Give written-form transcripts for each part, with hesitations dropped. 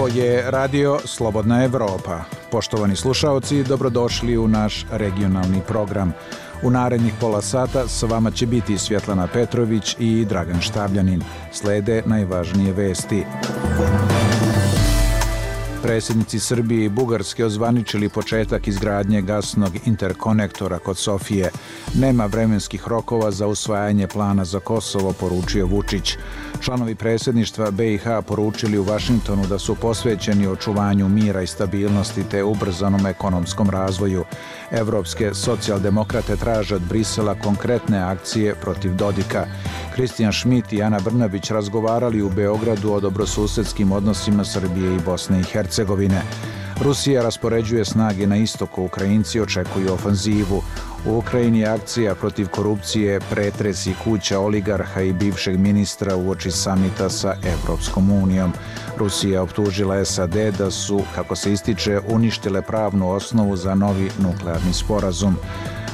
Ovo je radio Slobodna Evropa. Poštovani slušaoci, dobrodošli u naš regionalni program. U narednih pola sata s vama će biti Svjetlana Petrović i Dragan Štavljanin. Slede najvažnije vesti. Predsjednici Srbije i Bugarske ozvaničili početak izgradnje gasnog interkonektora kod Sofije. Nema vremenskih rokova za usvajanje plana za Kosovo, poručio Vučić. Članovi predsjedništva BiH poručili u Vašingtonu da su posvećeni očuvanju mira i stabilnosti te ubrzanom ekonomskom razvoju. Evropske socijaldemokrate traže od Brisela konkretne akcije protiv Dodika. Kristijan Šmit i Ana Brnabić razgovarali u Beogradu o dobrosusedskim odnosima Srbije i Bosne i Hercegovine. Rusija raspoređuje snage na istoku, Ukrajinci očekuju ofanzivu. U Ukrajini je akcija protiv korupcije, pretresi kuća oligarha i bivšeg ministra uoči samita sa Evropskom unijom. Rusija optužila SAD da su, kako se ističe, uništile pravnu osnovu za novi nuklearni sporazum.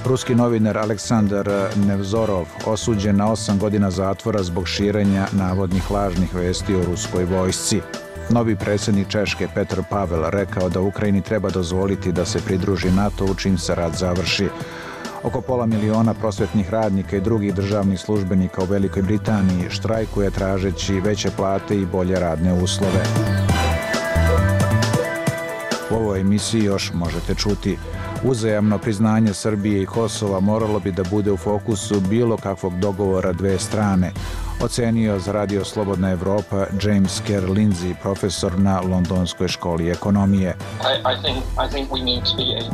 Ruski novinar Aleksandar Nevzorov osuđen na 8 godina zatvora zbog širenja navodnih lažnih vesti o ruskoj vojsci. Novi predsjednik Češke Petr Pavel rekao da Ukrajini treba dozvoliti da se pridruži NATO čim se rat završi. Oko 500.000 prosvetnih radnika i drugih državnih službenika u Velikoj Britaniji štrajkuje tražeći veće plate i bolje radne uslove. U ovoj emisiji još možete čuti: uzajamno priznanje Srbije i Kosova moralo bi da bude u fokusu bilo kakvog dogovora dve strane, ocenio za radio Slobodna Evropa James Kerr Lindsay, profesor na Londonskoj školi ekonomije.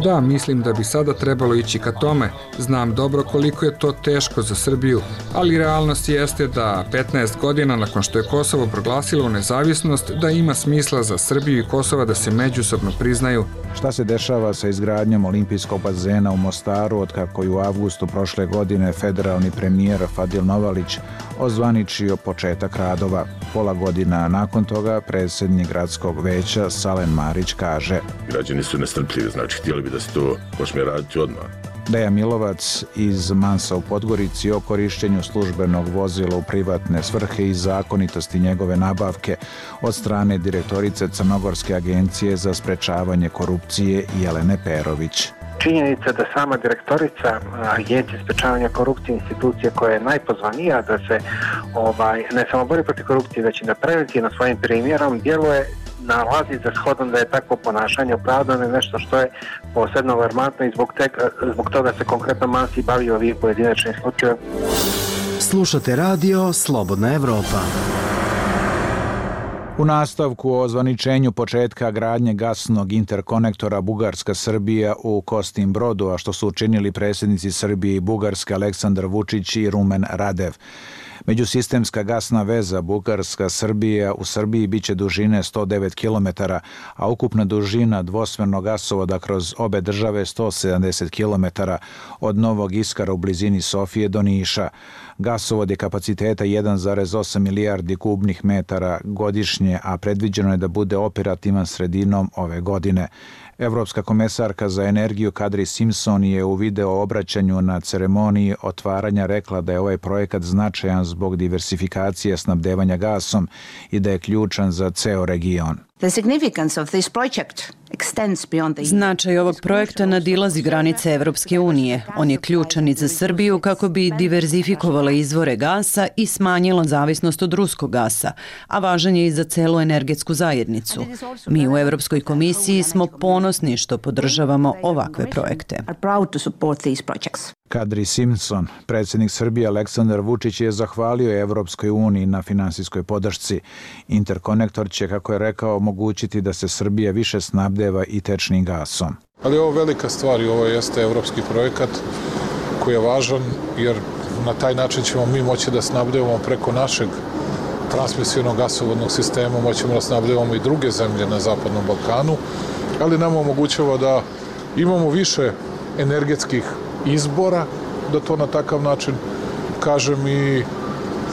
Da, mislim da bi sada trebalo ići ka tome. Znam dobro koliko je to teško za Srbiju, ali realnost jeste da 15 godina nakon što je Kosovo proglasilo nezavisnost, da ima smisla za Srbiju i Kosova da se međusobno priznaju. Šta se dešava sa izgradnjom olimpijskog bazena u Mostaru otkako je u avgustu prošle godine federalni premijer Fadil Novalić ozvaničio početak radova? Pola godina nakon toga predsjednik gradskog veća Salen Marić kaže: građani su nestrpljivi, znači htjeli bi da se to počne raditi odmah. Deja Milovac iz Mansa u Podgorici o korištenju službenog vozila u privatne svrhe i zakonitosti njegove nabavke od strane direktorice Crnogorske agencije za sprečavanje korupcije Jelene Perović. Činjenica da sama direktorica Agencije sprečavanja korupcije, institucije koja je najpozvanija da se ne samo bori protiv korupcije, već i da preventivno svojim primjerom djeluje, nalazi za shodom da je takvo ponašanje opravdano je nešto što je posebno alarmantno i zbog toga se konkretno Mansi bavi ovih pojedinačnih slučajeva. Slušate radio Slobodna Evropa. U nastavku o ozvaničenju početka gradnje gasnog interkonektora Bugarska-Srbija u Kostim Brodu, a što su učinili predsjednici Srbije i Bugarske Aleksandar Vučić i Rumen Radev. Međusistemska gasna veza Bugarska-Srbija u Srbiji biće dužine 109 km, a ukupna dužina dvosmernog gasovoda kroz obe države 170 km od Novog Iskara u blizini Sofije do Niša. Gasovod je kapaciteta 1,8 milijardi kubnih metara godišnje, a predviđeno je da bude operativan sredinom ove godine. Evropska komesarka za energiju Kadri Simpson je u video obraćanju na ceremoniji otvaranja rekla da je ovaj projekat značajan zbog diversifikacije snabdevanja gasom i da je ključan za ceo region. Značaj ovog projekta nadilazi granice Evropske unije. On je ključan i za Srbiju kako bi diverzifikovala izvore gasa i smanjila zavisnost od ruskog gasa, a važan je i za celu energetsku zajednicu. Mi u Evropskoj komisiji smo ponosni što podržavamo ovakve projekte. Kadri Simpson, predsjednik Srbije Aleksandar Vučić je zahvalio Evropskoj uniji na finansijskoj podršci. Interkonektor će, kako je rekao, omogućiti da se Srbija više snabdeva i tečnim gasom. Ali ovo je velika stvar i ovo jeste evropski projekat koji je važan jer na taj način ćemo mi moći da snabdevamo preko našeg transmisivnog gasovodnog sistema, moćemo da snabdevamo i druge zemlje na Zapadnom Balkanu, ali nam omogućava da imamo više energetskih izbora, da to na takav način kažem i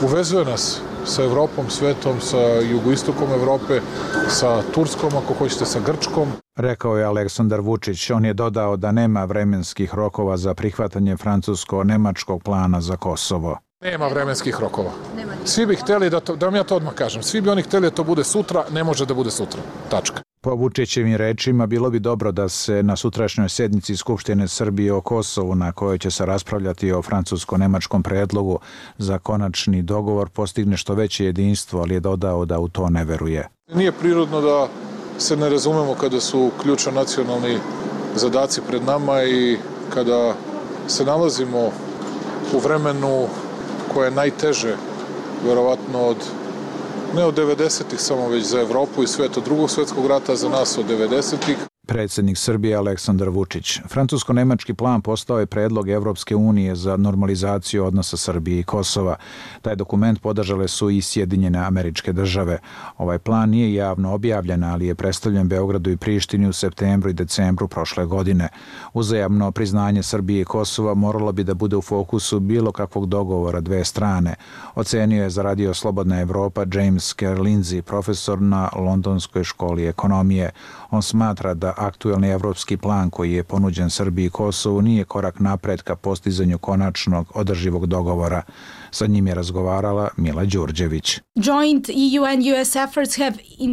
uvezuje nas sa Evropom, svetom, sa jugoistokom Evrope, sa Turskom, ako hoćete, sa Grčkom. Rekao je Aleksandar Vučić. On je dodao da nema vremenskih rokova za prihvatanje francusko-nemačkog plana za Kosovo. Nema vremenskih rokova. Svi bi hteli, da vam ja to odmah kažem, svi bi oni hteli da to bude sutra, ne može da bude sutra. Tačka. Po Vučićevim rečima bilo bi dobro da se na sutrašnjoj sednici Skupštine Srbije o Kosovu, na kojoj će se raspravljati o francusko-nemačkom predlogu za konačni dogovor, postigne što veće jedinstvo, ali je dodao da u to ne veruje. Nije prirodno da se ne razumemo kada su ključno nacionalni zadaci pred nama i kada se nalazimo u vremenu koje je najteže, verovatno ne od 90-ih samo, već za Evropu i svet od Drugog svetskog rata, za nas od 90-ih. Predsjednik Srbije Aleksandar Vučić. Francusko-nemački plan postao je predlog Evropske unije za normalizaciju odnosa Srbije i Kosova. Taj dokument podržale su i Sjedinjene Američke Države. Ovaj plan nije javno objavljen, ali je predstavljen Beogradu i Prištini u septembru i decembru prošle godine. Uzajamno priznanje Srbije i Kosova moralo bi da bude u fokusu bilo kakvog dogovora dve strane. Ocenio je za Radio Slobodna Evropa James Kerr-Lindsey, profesor na Londonskoj školi ekonomije. On smatra da aktuelni evropski plan koji je ponuđen Srbiji i Kosovu nije korak napred ka postizanju konačnog održivog dogovora. Sa njim je razgovarala Mila Đurđević.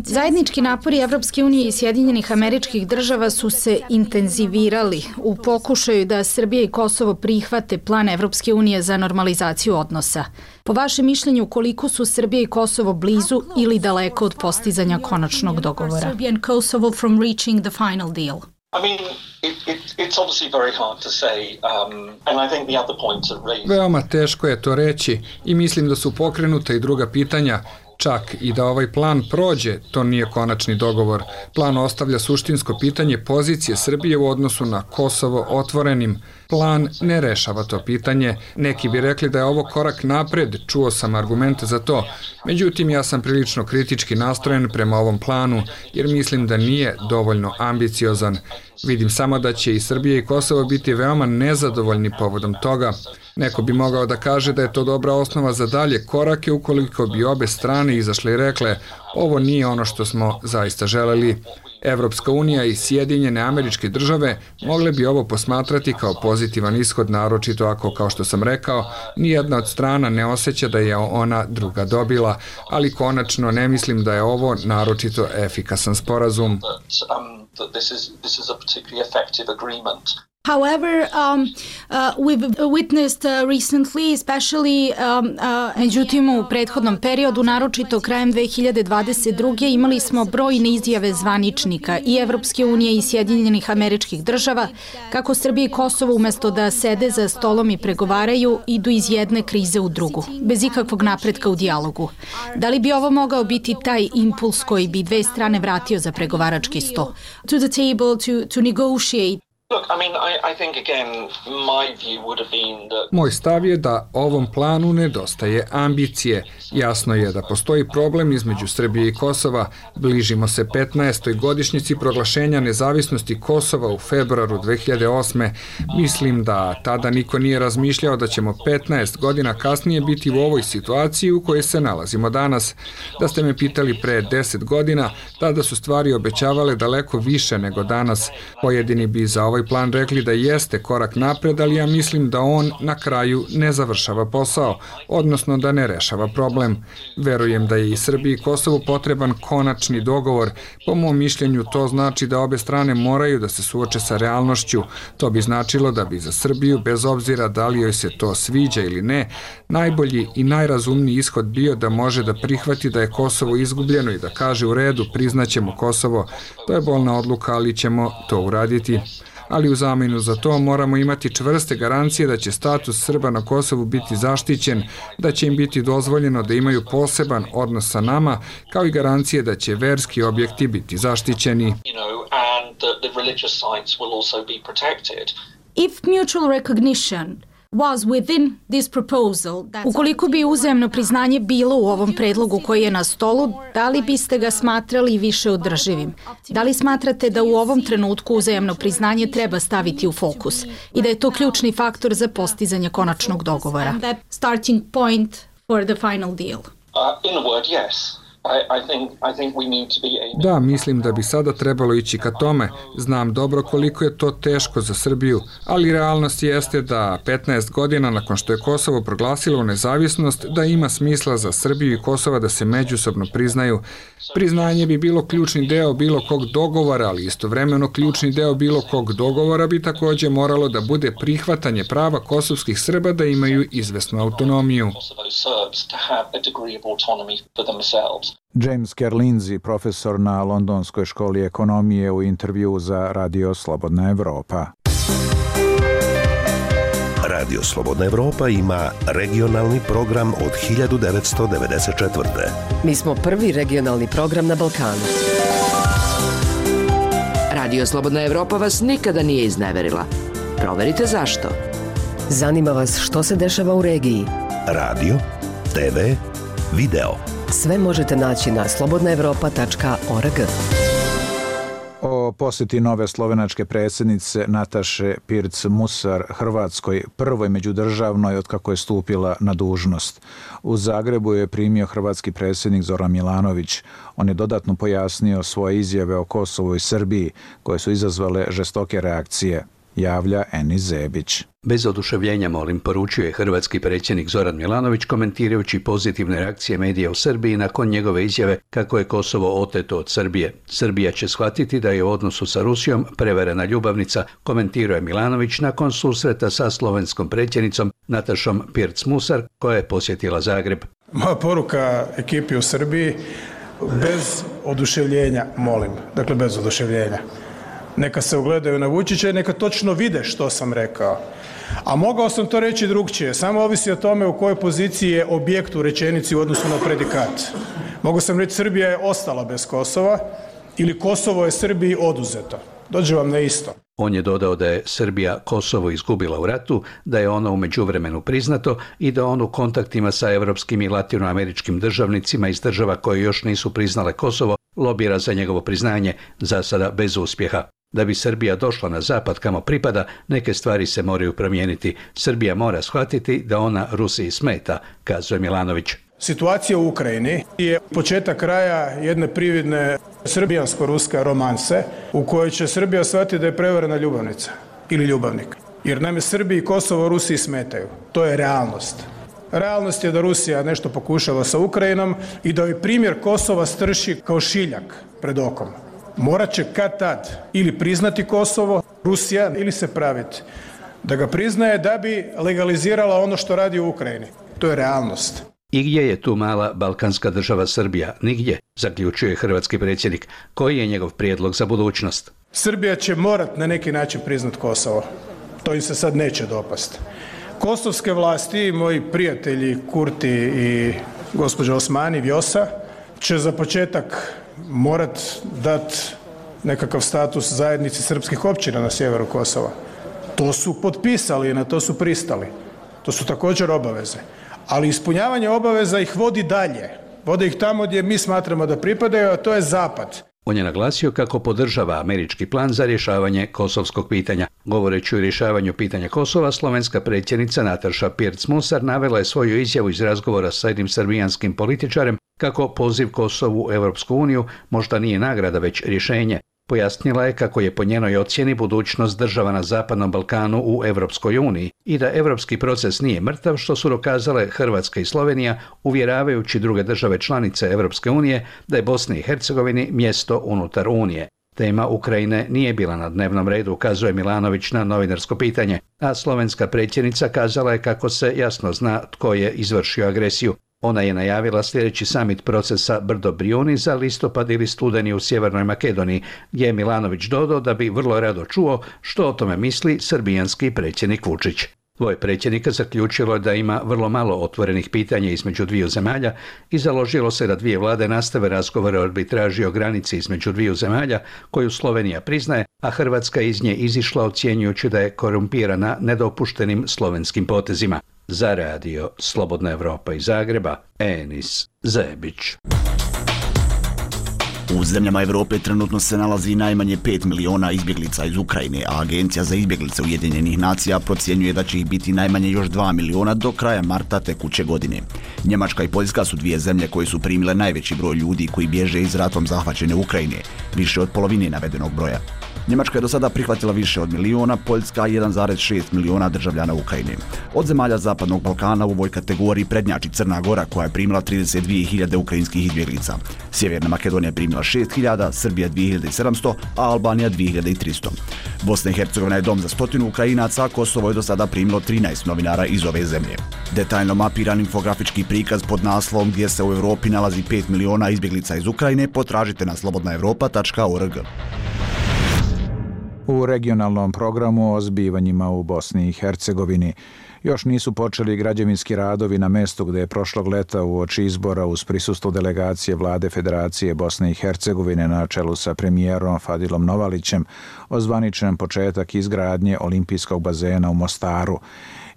Zajednički napori Evropske unije i Sjedinjenih Američkih Država su se intenzivirali u pokušaju da Srbija i Kosovo prihvate plan Evropske unije za normalizaciju odnosa. Po vašem mišljenju, koliko su Srbija i Kosovo blizu ili daleko od postizanja konačnog dogovora? Veoma teško je to reći i mislim da su pokrenuta i druga pitanja. Čak i da ovaj plan prođe, to nije konačni dogovor. Plan ostavlja suštinsko pitanje pozicije Srbije u odnosu na Kosovo otvorenim. Plan ne rešava to pitanje. Neki bi rekli da je ovo korak napred, čuo sam argumente za to. Međutim, ja sam prilično kritički nastrojen prema ovom planu, jer mislim da nije dovoljno ambiciozan. Vidim samo da će i Srbija i Kosovo biti veoma nezadovoljni povodom toga. Neko bi mogao da kaže da je to dobra osnova za dalje korake ukoliko bi obe strane izašle i rekle ovo nije ono što smo zaista želeli. Evropska unija i Sjedinjene Američke Države mogle bi ovo posmatrati kao pozitivan ishod, naročito ako, kao što sam rekao, nijedna od strana ne osjeća da je ona druga dobila, ali konačno ne mislim da je ovo naročito efikasan sporazum. However, we've witnessed recently, especially međutim u prethodnom periodu, naročito krajem 2022. imali smo brojne izjave zvaničnika i Evropske unije i Sjedinjenih Američkih Država kako Srbija i Kosovo umesto da sede za stolom i pregovaraju, idu iz jedne krize u drugu, bez ikakvog napretka u dijalogu. Da li bi ovo mogao biti taj impuls koji bi dve strane vratio za pregovarački sto? To the table to negotiate. Moj stav je da ovom planu nedostaje ambicije. Jasno je da postoji problem između Srbije i Kosova. Bližimo se 15. godišnjici proglašenja nezavisnosti Kosova u februaru 2008. Mislim da tada niko nije razmišljao da ćemo 15 godina kasnije biti u ovoj situaciji u kojoj se nalazimo danas. Da ste me pitali pre 10 godina, tada su stvari obećavale daleko više nego danas. Pojedini bi za ovaj plan rekli da jeste korak napred, ali ja mislim da on na kraju ne završava posao, odnosno da ne rešava problem. Verujem da je i Srbiji i Kosovu potreban konačni dogovor. Po mom mišljenju to znači da obe strane moraju da se suoče sa realnošću. To bi značilo da bi za Srbiju, bez obzira da li joj se to sviđa ili ne, najbolji i najrazumniji ishod bio da može da prihvati da je Kosovo izgubljeno i da kaže u redu, priznaćemo Kosovo. To je bolna odluka, ali ćemo to uraditi. Ali u zamenu za to moramo imati čvrste garancije da će status Srba na Kosovu biti zaštićen, da će im biti dozvoljeno da imaju poseban odnos sa nama, kao i garancije da će verski objekti biti zaštićeni. If mutual recognition was within this proposal, ukoliko bi uzajamno priznanje bilo u ovom predlogu koji je na stolu, da li biste ga smatrali više održivim? Da li smatrate da u ovom trenutku uzajamno priznanje treba staviti u fokus i da je to ključni faktor za postizanje konačnog dogovora? Starting point for the final deal. In a word, yes. Da, mislim da bi sada trebalo ići ka tome. Znam dobro koliko je to teško za Srbiju, ali realnost jeste da 15 godina nakon što je Kosovo proglasilo nezavisnost, da ima smisla za Srbiju i Kosova da se međusobno priznaju. Priznanje bi bilo ključni deo bilo kog dogovora, ali istovremeno ključni deo bilo kog dogovora bi takođe moralo da bude prihvatanje prava kosovskih Srba da imaju izvesnu autonomiju. James Kerlinzi, profesor na Londonskoj školi ekonomije, u intervju za Radio Slobodna Evropa. Radio Slobodna Evropa ima regionalni program od 1994. Mi smo prvi regionalni program na Balkanu. Radio Slobodna Evropa vas nikada nije izneverila. Proverite zašto. Zanima vas što se dešava u regiji. Radio, TV, video. Sve možete naći na slobodnaevropa.org. O posjeti nove slovenačke predsjednice Nataše Pirc-Musar Hrvatskoj, prvoj međudržavnoj od kako je stupila na dužnost. U Zagrebu je primio hrvatski predsjednik Zoran Milanović. On je dodatno pojasnio svoje izjave o Kosovu i Srbiji, koje su izazvale žestoke reakcije. Javlja Enis Zebić. Bez oduševljenja, molim, poručio je hrvatski predsjednik Zoran Milanović komentirajući pozitivne reakcije medija u Srbiji nakon njegove izjave kako je Kosovo oteto od Srbije. Srbija će shvatiti da je u odnosu sa Rusijom prevarena ljubavnica, komentirao je Milanović nakon susreta sa slovenskom predsjednicom Natašom Pirc-Musar koja je posjetila Zagreb. Moja poruka ekipi u Srbiji, bez oduševljenja, molim, dakle bez oduševljenja. Neka se ugledaju na Vučića i neka točno vide što sam rekao. A mogao sam to reći drugčije, samo ovisi o tome u kojoj poziciji je objekt u rečenici u odnosu na predikat. Mogao sam reći Srbija je ostala bez Kosova ili Kosovo je Srbiji oduzeto. Dođe vam na isto. On je dodao da je Srbija Kosovo izgubila u ratu, da je ono u međuvremenu priznato i da on u kontaktima sa evropskim i latinoameričkim državnicima iz država koje još nisu priznale Kosovo lobira za njegovo priznanje, za sada bez uspjeha. Da bi Srbija došla na zapad kamo pripada, neke stvari se moraju promijeniti. Srbija mora shvatiti da ona Rusiji smeta, kazuje Milanović. Situacija u Ukrajini je početak kraja jedne prividne srbijansko-ruske romanse u kojoj će Srbija shvatiti da je prevarena ljubavnica ili ljubavnik. Jer naime Srbiji i Kosovo Rusiji smetaju. To je realnost. Realnost je da Rusija nešto pokušava sa Ukrajinom i da ovaj primjer Kosova strši kao šiljak pred okom. Morat će kad tad ili priznati Kosovo, Rusija, ili se praviti da ga priznaje da bi legalizirala ono što radi u Ukrajini. To je realnost. I gdje je tu mala balkanska država Srbija? Nigdje, zaključuje hrvatski predsjednik. Koji je njegov prijedlog za budućnost? Srbija će morat na neki način priznat Kosovo. To im se sad neće dopasti. Kosovske vlasti, moji prijatelji Kurti i gospođa Osmani Vjosa, će za početak morat dati nekakav status zajednici srpskih općina na sjeveru Kosova. To su potpisali i na to su pristali. To su također obaveze. Ali ispunjavanje obaveza ih vodi dalje. Vode ih tamo gdje mi smatramo da pripadaju, a to je zapad. On je naglasio kako podržava američki plan za rješavanje kosovskog pitanja. Govoreći o rješavanju pitanja Kosova, slovenska predsjednica Nataša Pirc-Musar navela je svoju izjavu iz razgovora sa jednim srbijanskim političarem kako poziv Kosovu u Europsku uniju možda nije nagrada, već rješenje. Pojasnila je kako je po njenoj ocjeni budućnost država na Zapadnom Balkanu u Europskoj uniji i da europski proces nije mrtav, što su dokazale Hrvatska i Slovenija, uvjeravajući druge države članice Europske unije da je Bosni i Hercegovini mjesto unutar Unije. Tema Ukrajine nije bila na dnevnom redu, kazuje Milanović na novinarsko pitanje, a slovenska predsjednica kazala je kako se jasno zna tko je izvršio agresiju. Ona je najavila sljedeći samit procesa Brdo-Brijuni za listopad ili studeni u Sjevernoj Makedoniji, gdje je Milanović dodao da bi vrlo rado čuo što o tome misli srbijanski predsjednik Vučić. Dvoje predsjednika zaključilo je da ima vrlo malo otvorenih pitanja između dviju zemalja i založilo se da dvije vlade nastave razgovore o arbitraži o granici između dviju zemalja koju Slovenija priznaje, a Hrvatska iz nje izišla ocjenjujući da je korumpirana nedopuštenim slovenskim potezima. Za radio Slobodna Evropa iz Zagreba, Enis Zebić. U zemljama Evrope trenutno se nalazi najmanje 5 miliona izbjeglica iz Ukrajine, a Agencija za izbjeglice Ujedinjenih nacija procjenjuje da će ih biti najmanje još 2 miliona do kraja marta tekuće godine. Njemačka i Poljska su dvije zemlje koje su primile najveći broj ljudi koji bježe iz ratom zahvaćene Ukrajine, više od polovine navedenog broja. Njemačka je do sada prihvatila više od miliona, Poljska 1,6 miliona državljana Ukrajine. Od zemalja Zapadnog Balkana u ovoj kategoriji prednjači Crna Gora koja je primila 32.000 ukrajinskih izbjeglica. Sjeverna Makedonija je primila 6.000, Srbija 2.700, a Albanija 2.300. Bosna i Hercegovina je dom za 100 Ukrajinaca, a Kosovo je do sada primilo 13 novinara iz ove zemlje. Detaljno mapiran infografički prikaz pod naslovom gdje se u Evropi nalazi 5 miliona izbjeglica iz Ukrajine potražite na slobodnaevropa.org. U regionalnom programu o zbivanjima u Bosni i Hercegovini još nisu počeli građevinski radovi na mestu gdje je prošlog leta uoči izbora uz prisustvo delegacije Vlade Federacije Bosne i Hercegovine na čelu sa premijerom Fadilom Novalićem ozvaničen početak izgradnje olimpijskog bazena u Mostaru.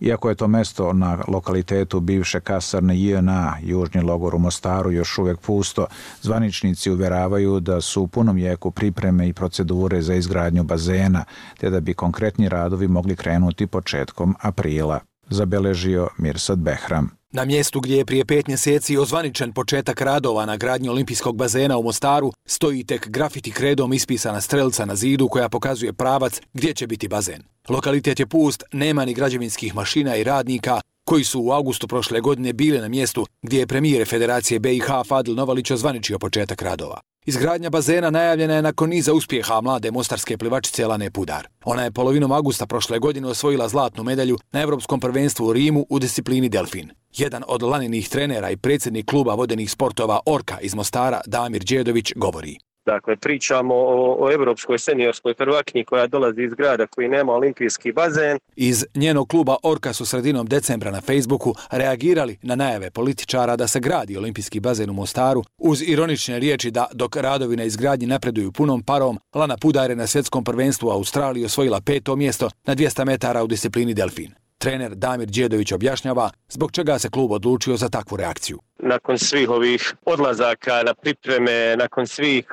Iako je to mesto na lokalitetu bivše kasarne JNA, južni logor u Mostaru, još uvijek pusto, zvaničnici uvjeravaju da su u punom jeku pripreme i procedure za izgradnju bazena, te da bi konkretni radovi mogli krenuti početkom aprila, zabeležio Mirsad Behram. Na mjestu gdje je prije 5 mjeseci ozvaničen početak radova na gradnji olimpijskog bazena u Mostaru, stoji tek grafiti kredom ispisana strelca na zidu koja pokazuje pravac gdje će biti bazen. Lokalitet je pust, nema ni građevinskih mašina i radnika koji su u augustu prošle godine bile na mjestu gdje je premijer Federacije BiH Fadil Novalić ozvaničio početak radova. Izgradnja bazena najavljena je nakon niza uspjeha mlade mostarske plivačice Lane Pudar. Ona je polovinom augusta prošle godine osvojila zlatnu medalju na Europskom prvenstvu u Rimu u disciplini delfin. Jedan od Laninih trenera i predsjednik kluba vodenih sportova Orka iz Mostara, Damir Đedović, govori. Dakle, pričamo o evropskoj seniorskoj prvakinji koja dolazi iz grada koji nema olimpijski bazen. Iz njenog kluba Orka su sredinom decembra na Facebooku reagirali na najave političara da se gradi olimpijski bazen u Mostaru uz ironične riječi da dok radovi na izgradnji napreduju punom parom, Lana Pudar je na svjetskom prvenstvu u Australiji osvojila 5. mjesto na 200 metara u disciplini delfin. Trener Damir Đedović objašnjava zbog čega se klub odlučio za takvu reakciju. Nakon svih ovih odlazaka na pripreme, nakon svih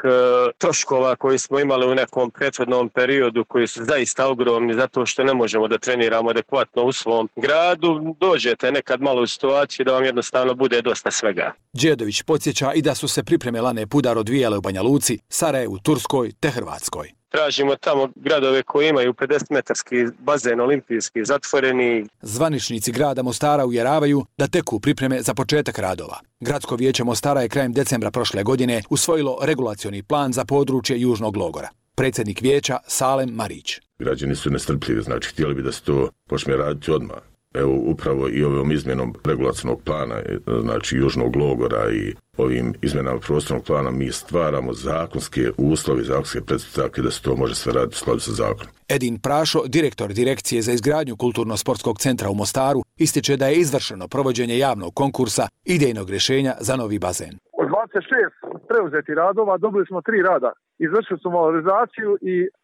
troškova koji smo imali u nekom prethodnom periodu koji su zaista ogromni zato što ne možemo da treniramo adekvatno u svom gradu, dođete nekad malo u situaciju da vam jednostavno bude dosta svega. Đedović podsjeća i da su se pripreme Lane Pudar odvijale u Banja Luci, Sarajevu, Turskoj te Hrvatskoj. Tražimo tamo gradove koji imaju 50-metarski bazen olimpijski zatvoreni. Zvaničnici grada Mostara uvjeravaju da teku pripreme za početak radova. Gradsko vijeće Mostara je krajem decembra prošle godine usvojilo regulacioni plan za područje južnog logora. Predsjednik vijeća Salem Marić. Građani su nestrpljivi, znači htjeli bi da se to počne raditi odmah. Evo upravo i ovom izmjenom regulacionog plana, znači južnog logora i ovim izmjenama prostornog plana mi stvaramo zakonske uslove, zakonske pretpostavke da se to može sve raditi u skladu sa zakonom. Edin Prašo, direktor Direkcije za izgradnju Kulturno-sportskog centra u Mostaru, ističe da je izvršeno provođenje javnog konkursa idejnog rješenja za novi bazen. Od 26 preuzeti radova dobili smo 3 rada. Izvršili smo valorizaciju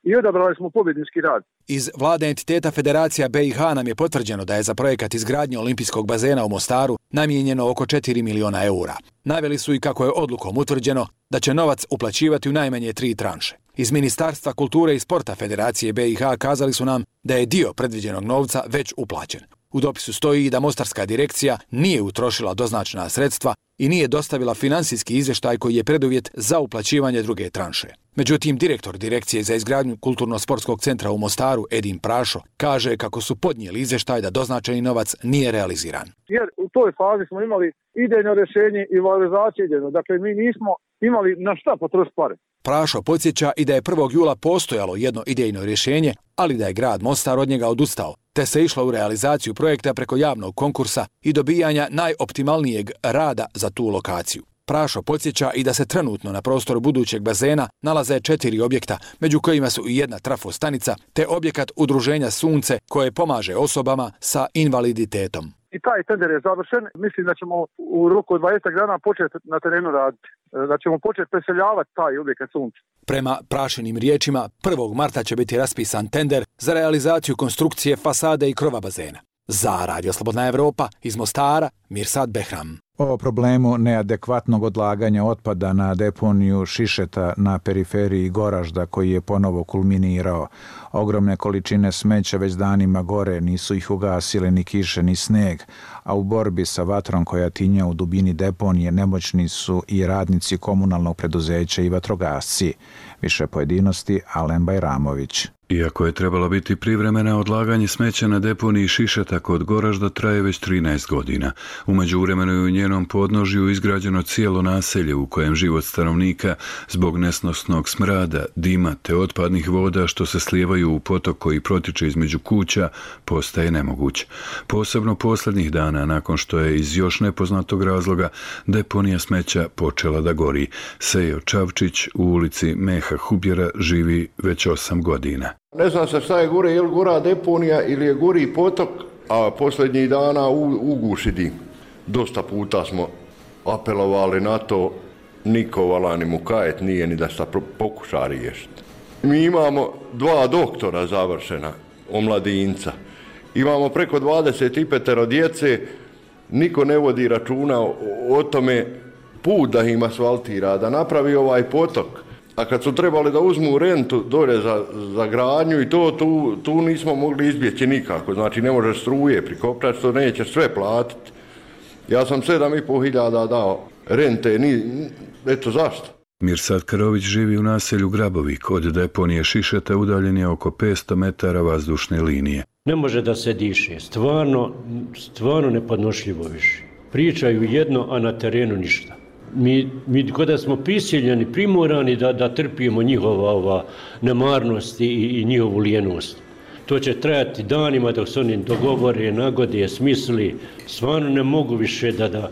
i odabrali smo pobjednički rad. Iz vlade entiteta Federacija BiH nam je potvrđeno da je za projekat izgradnje olimpijskog bazena u Mostaru namijenjeno oko 4 miliona eura. Naveli su i kako je odlukom utvrđeno da će novac uplaćivati u najmanje 3 tranše. Iz Ministarstva kulture i sporta Federacije BiH kazali su nam da je dio predviđenog novca već uplaćen. U dopisu stoji i da Mostarska direkcija nije utrošila doznačena sredstva i nije dostavila finansijski izvještaj koji je preduvjet za uplaćivanje druge tranše. Međutim, direktor Direkcije za izgradnju Kulturno-sportskog centra u Mostaru, Edin Prašo, kaže kako su podnijeli izvještaj da doznačeni novac nije realiziran. Jer u toj fazi smo imali idejno rješenje i valorizaciju idejno. Dakle, mi nismo imali na šta potrošiti pare. Prašo podsjeća i da je 1. jula postojalo jedno idejno rješenje, ali da je grad Mostar od njega odustao, te se išlo u realizaciju projekta preko javnog konkursa i dobijanja najoptimalnijeg rada za tu lokaciju. Prašo podsjeća i da se trenutno na prostoru budućeg bazena nalaze 4 objekta, među kojima su i jedna trafostanica, te objekat udruženja Sunce koje pomaže osobama sa invaliditetom. I taj tender je završen. Mislim da ćemo u roku od 20 dana početi na terenu raditi. Da ćemo početi preseljavati taj objekat Sunce. Prema Prašinim riječima, 1. marta će biti raspisan tender za realizaciju konstrukcije fasade i krova bazena. Za Radio Slobodna Evropa iz Mostara, Mirsad Behram. O problemu neadekvatnog odlaganja otpada na deponiju Šišeta na periferiji Goražda koji je ponovo kulminirao. Ogromne količine smeća već danima gore, nisu ih ugasile ni kiše ni sneg, a u borbi sa vatrom koja tinja u dubini deponije nemoćni su i radnici komunalnog preduzeća i vatrogasci. Više pojedinosti Alen Bajramović. Iako je trebalo biti privremena, odlaganje smeća na deponiji Šišeta kod Goražda traje već 13 godina. U međuvremenu je u njenom podnožju izgrađeno cijelo naselje u kojem život stanovnika zbog nesnosnog smrada, dima te otpadnih voda što se slijevaju u potok koji protiče između kuća postaje nemoguć. Posebno posljednjih dana nakon što je iz još nepoznatog razloga deponija smeća počela da gori. Sejo Čavčić u ulici Meha Hubjera živi već 8 godina. Ne zna se šta je gore, je li gora deponija ili je gori potok, a posljednjih dana uguši dim. Dosta puta smo apelovali na to, niko vala ni mu kajet nije ni da se pokuša riješiti. Mi imamo 2 doktora završena, omladinca. Imamo preko 25 djece, niko ne vodi računa o tome put da im asfaltira, da napravi ovaj potok. A kad su trebali da uzmu rentu dolje za gradnju i tu nismo mogli izbjeći nikako. Znači ne može struje prikopčati, što neće sve platiti. Ja sam 7.500 dao rente, eto zašto? Mirsad Karović živi u naselju Grabovik. Od deponije Šišeta udaljen je oko 500 metara vazdušne linije. Ne može da se diše, stvarno nepodnošljivo više. Pričaju jedno, a na terenu ništa. Mi kada smo prisiljeni, primorani da trpimo njihova nemarnost i njihovu lijenost. To će trajati danima dok se oni dogovore, nagode, smisli. Stvarno ne mogu više da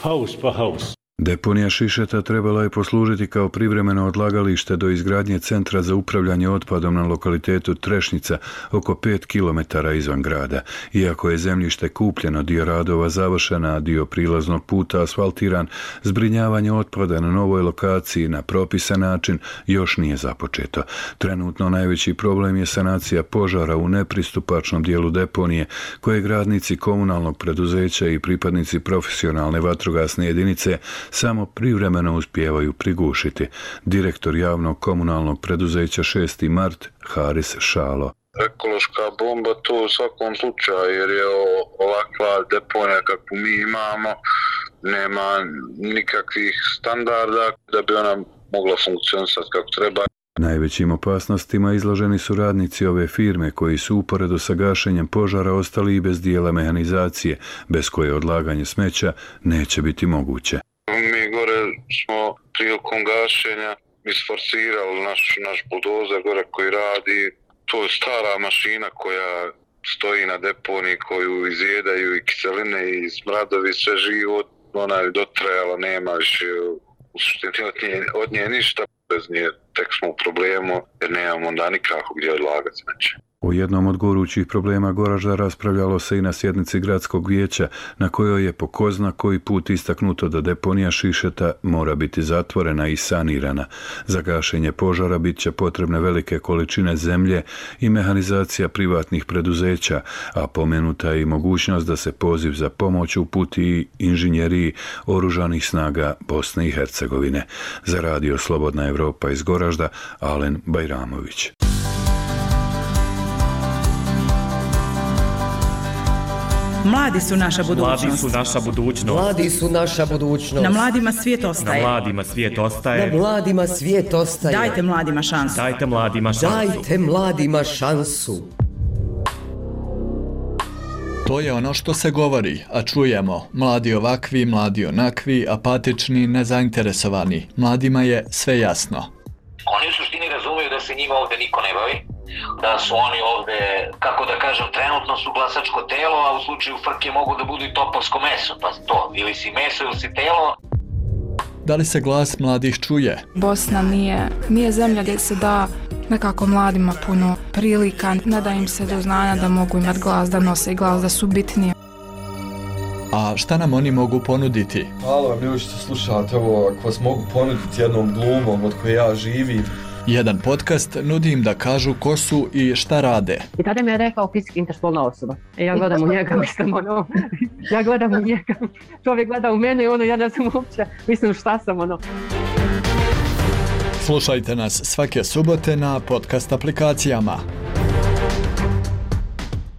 haus pa haus. Deponija Šišeta trebala je poslužiti kao privremeno odlagalište do izgradnje centra za upravljanje otpadom na lokalitetu Trešnica oko 5 km izvan grada. Iako je zemljište kupljeno, dio radova završena, a dio prilaznog puta asfaltiran, zbrinjavanje otpada na novoj lokaciji na propisan način još nije započeto. Trenutno najveći problem je sanacija požara u nepristupačnom dijelu deponije koje radnici komunalnog preduzeća i pripadnici profesionalne vatrogasne jedinice samo privremeno uspijevaju prigušiti. Direktor javnog komunalnog preduzeća 6. Mart, Haris Šalo. Ekološka bomba to u svakom slučaju, jer je ovakva deponija kakvu mi imamo, nema nikakvih standarda da bi ona mogla funkcionisati kako treba. Najvećim opasnostima izloženi su radnici ove firme koji su uporedo sa gašenjem požara ostali i bez dijela mehanizacije, bez koje odlaganje smeća neće biti moguće. Mi gore smo prilikom gašenja isforsirali naš buldozer gore koji radi. To je stara mašina koja stoji na deponiji, koju izjedaju i kiseline i smradovi, sve živo. Ona je dotrajala, nema više u suštini od nje ništa. Bez nje tek smo u problemu jer nemamo onda nikako gdje odlagati smeće. O jednom od gorućih problema Goražda raspravljalo se i na sjednici gradskog vijeća na kojoj je po ko zna koji put istaknuto da deponija Šišeta mora biti zatvorena i sanirana. Za gašenje požara bit će potrebne velike količine zemlje i mehanizacija privatnih preduzeća, a pomenuta je i mogućnost da se poziv za pomoć uputi i inženjeriji oružanih snaga Bosne i Hercegovine. Za radio Slobodna Evropa iz Goražda, Alen Bajramović. Mladi su naša budućnost. Mladi su naša budućnost. Mladi su naša budućnost. Na mladima svijet ostaje. Na mladima svijet ostaje. Na mladima svijet ostaje. Dajte mladima šansu. Dajte mladima šansu. Dajte mladima šansu. To je ono što se govori, a čujemo. Mladi ovakvi, mladi onakvi, apatični, nezainteresovani. Mladima je sve jasno. Oni u suštini razumiju da se njima ovde niko ne bavi, da su oni ovde, kako da kažem, trenutno su glasačko telo, a u slučaju frke mogu da budu i topovsko meso, pa to, ili si meso ili si telo. Da li se glas mladih čuje? Bosna nije zemlja gdje se da nekako mladima puno prilika, ne da im se do znanja da mogu imati glas, da nose glas, da su bitnije. A šta nam oni mogu ponuditi? Hvala vam ljudi što slušate ovo, ako vas mogu ponuditi jednom glumom od koje ja živim, Jedan podcast nudi im da kažu ko su i šta rade. I tada mi je rekao fizički interspolna osoba. Ja gledam u njega, mislim, ja gledam u njega, čovjek gleda u mene i ja ne znam uopće, mislim šta sam, Slušajte nas svake subote na podcast aplikacijama.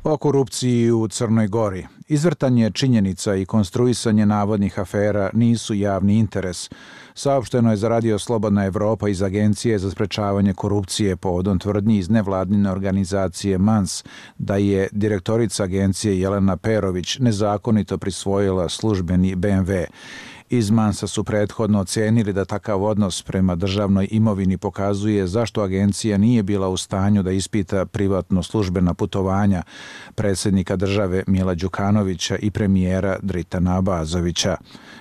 O korupciji u Crnoj Gori. Izvrtanje činjenica i konstruisanje navodnih afera nisu javni interes. Saopšteno je za Radio Slobodna Evropa iz Agencije za sprečavanje korupcije povodom tvrdnji iz nevladine organizacije MANS da je direktorica agencije Jelena Perović nezakonito prisvojila službeni BMW. Iz MANS-a su prethodno ocenili da takav odnos prema državnoj imovini pokazuje zašto agencija nije bila u stanju da ispita privatno službena putovanja predsjednika države Mila Đukanovića i premijera Dritana Abazovića.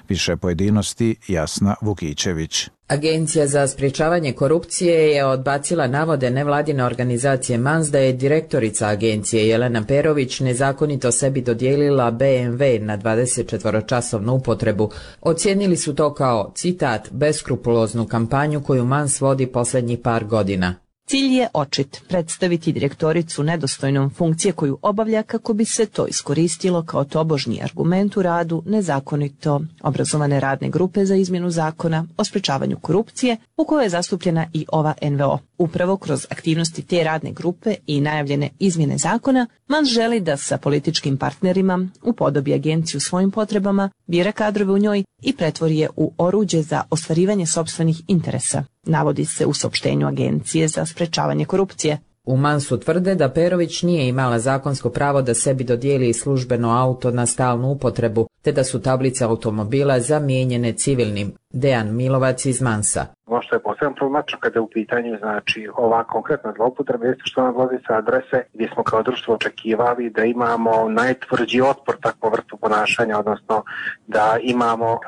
Više pojedinosti Jasna Vukićević. Agencija za sprječavanje korupcije je odbacila navode nevladine organizacije MANS da je direktorica agencije Jelena Perović nezakonito sebi dodijelila BMW na 24-časovnu upotrebu. Ocijenili su to kao, citat, beskrupuloznu kampanju koju MANS vodi posljednjih par godina. Cilj je očit, predstaviti direktoricu nedostojnom funkcije koju obavlja kako bi se to iskoristilo kao tobožnji argument u radu nezakonito obrazovane radne grupe za izmjenu zakona o sprečavanju korupcije u kojoj je zastupljena i ova NVO. Upravo kroz aktivnosti te radne grupe i najavljene izmjene zakona, MANS želi da sa političkim partnerima upodobi agenciju svojim potrebama, bira kadrove u njoj i pretvori je u oruđe za ostvarivanje sopstvenih interesa. Navodi se u saopštenju Agencije za sprečavanje korupcije. U MANS-u tvrde da Perović nije imala zakonsko pravo da sebi dodijeli službeno auto na stalnu upotrebu, te da su tablice automobila zamijenjene civilnim. Dejan Milovac iz MANS-a. Ono što je posebno problematično kada je u pitanju ova konkretna zloupotreba jeste što nam dolazi sa adrese gdje smo kao društvo očekivali da imamo najtvrđi otpor takvu vrstu ponašanja, odnosno da imamo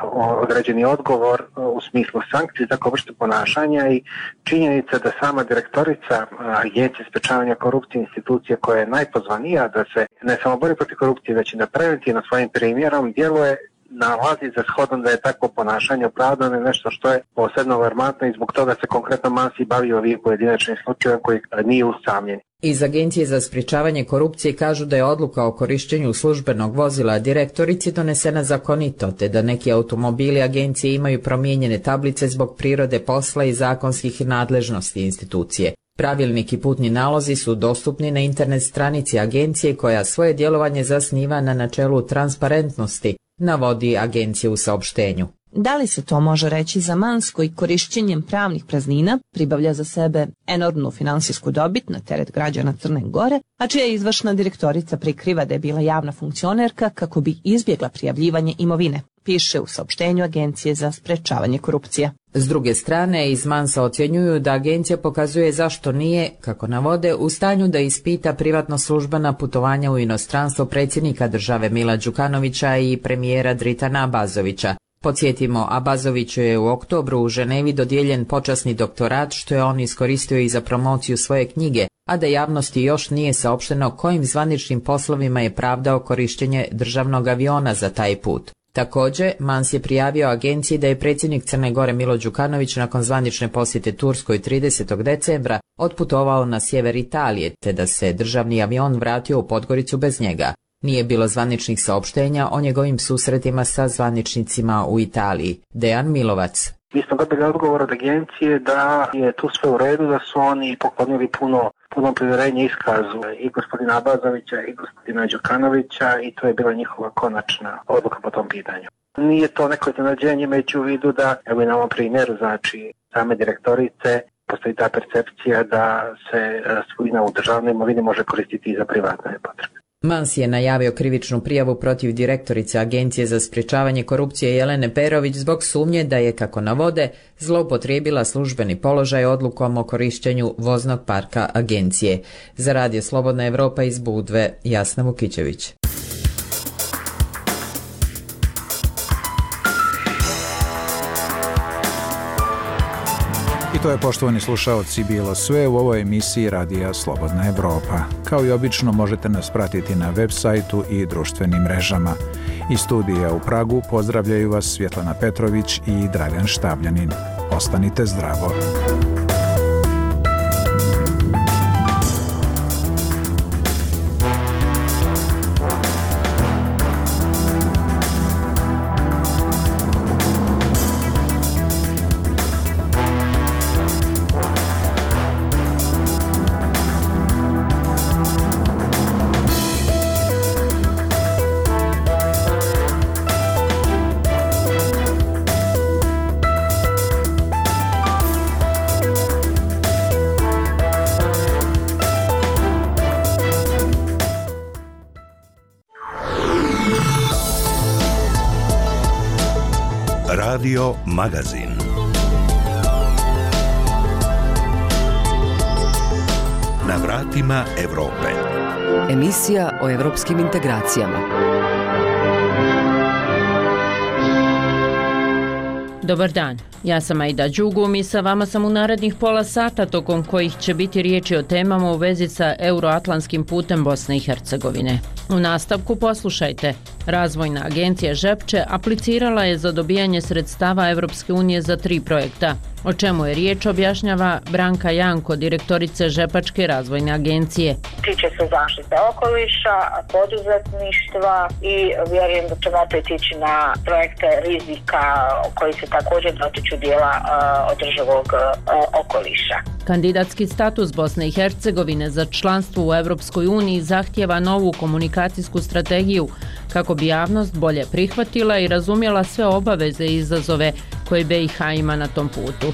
određeni odgovor u smislu sankcije za takvu vrstu ponašanja i činjenica da sama direktorica Agencije sprečavanja korupcije, institucije koja je najpozvanija da se ne samo bori protiv korupcije, već i da preventivno svojim primjerom djeluje, nalazi za shodom da je takvo ponašanje opravdano je nešto što je posebno alarmantno i zbog toga se konkretno MANS i bavi ovim pojedinačnim slučajem koji nije usamljen. Iz Agencije za sprječavanje korupcije kažu da je odluka o korištenju službenog vozila direktorici donesena zakonito, te da neki automobili agencije imaju promijenjene tablice zbog prirode posla i zakonskih nadležnosti institucije. Pravilnik i putni nalozi su dostupni na internet stranici agencije koja svoje djelovanje zasniva na načelu transparentnosti, navodi agencija u saopštenju. Da li se to može reći za MANS koji korišćenjem pravnih praznina pribavlja za sebe enormnu finansijsku dobit na teret građana Crne Gore, a čija izvršna direktorica prikriva da je bila javna funkcionerka kako bi izbjegla prijavljivanje imovine, piše u saopštenju Agencije za sprečavanje korupcije. S druge strane, iz MANS-a ocjenjuju da agencija pokazuje zašto nije, kako navode, u stanju da ispita privatno službena putovanja u inostranstvo predsjednika države Mila Đukanovića i premijera Dritana Abazovića. Podsjetimo, Abazoviću je u oktobru u Ženevi dodijeljen počasni doktorat što je on iskoristio i za promociju svoje knjige, a da javnosti još nije saopšteno kojim zvaničnim poslovima je pravdao korištenje državnog aviona za taj put. Također, MANS je prijavio agenciji da je predsjednik Crne Gore Milo Đukanović nakon zvanične posjete Turskoj 30. decembra otputovao na sjever Italije, te da se državni avion vratio u Podgoricu bez njega. Nije bilo zvaničnih saopštenja o njegovim susretima sa zvaničnicima u Italiji. Dejan Milovac. Mi smo dobili odgovor od agencije da je tu sve u redu, da su oni poklonili puno povjerenje iskazu i gospodina Abazovića i gospodina Đukanovića i to je bila njihova konačna odluka po tom pitanju. Nije to neko iznenađenje, imajući u vidu da, evo i na ovom primjeru, same direktorice, postoji ta percepcija da se svojina u državnoj imovini može koristiti i za privatne potrebe. MANS je najavio krivičnu prijavu protiv direktorice Agencije za sprječavanje korupcije Jelene Perović zbog sumnje da je, kako navode, zloupotrijebila službeni položaj odlukom o korištenju voznog parka agencije. Za Radio Slobodna Evropa iz Budve, Jasna Vukićević. I to je, poštovani slušaoci, bilo sve u ovoj emisiji Radija Slobodna Evropa. Kao i obično možete nas pratiti na web sajtu i društvenim mrežama. Iz studija u Pragu pozdravljaju vas Svjetlana Petrović i Dragan Štabljanin. Ostanite zdravo. Radio Magazin. Na vratima Evrope. Emisija o evropskim integracijama. Dobar dan, ja sam Aida Đugum i sa vama sam u narednih pola sata tokom kojih će biti riječi o temama u vezi sa euroatlantskim putem Bosne i Hercegovine. U nastavku poslušajte. Razvojna agencija Žepče aplicirala je za dobijanje sredstava Evropske unije za 3 projekta. O čemu je riječ objašnjava Branka Janko, direktorica Žepačke razvojne agencije. Tiče se zaštite okoliša, poduzetništva i vjerujem da ćemo opet ići na projekte rizika koji se također dotiču dijela održivog okoliša. Kandidatski status Bosne i Hercegovine za članstvo u Evropskoj uniji zahtijeva novu komunikacijsku strategiju kako bi javnost bolje prihvatila i razumjela sve obaveze i izazove koje BiH ima na tom putu.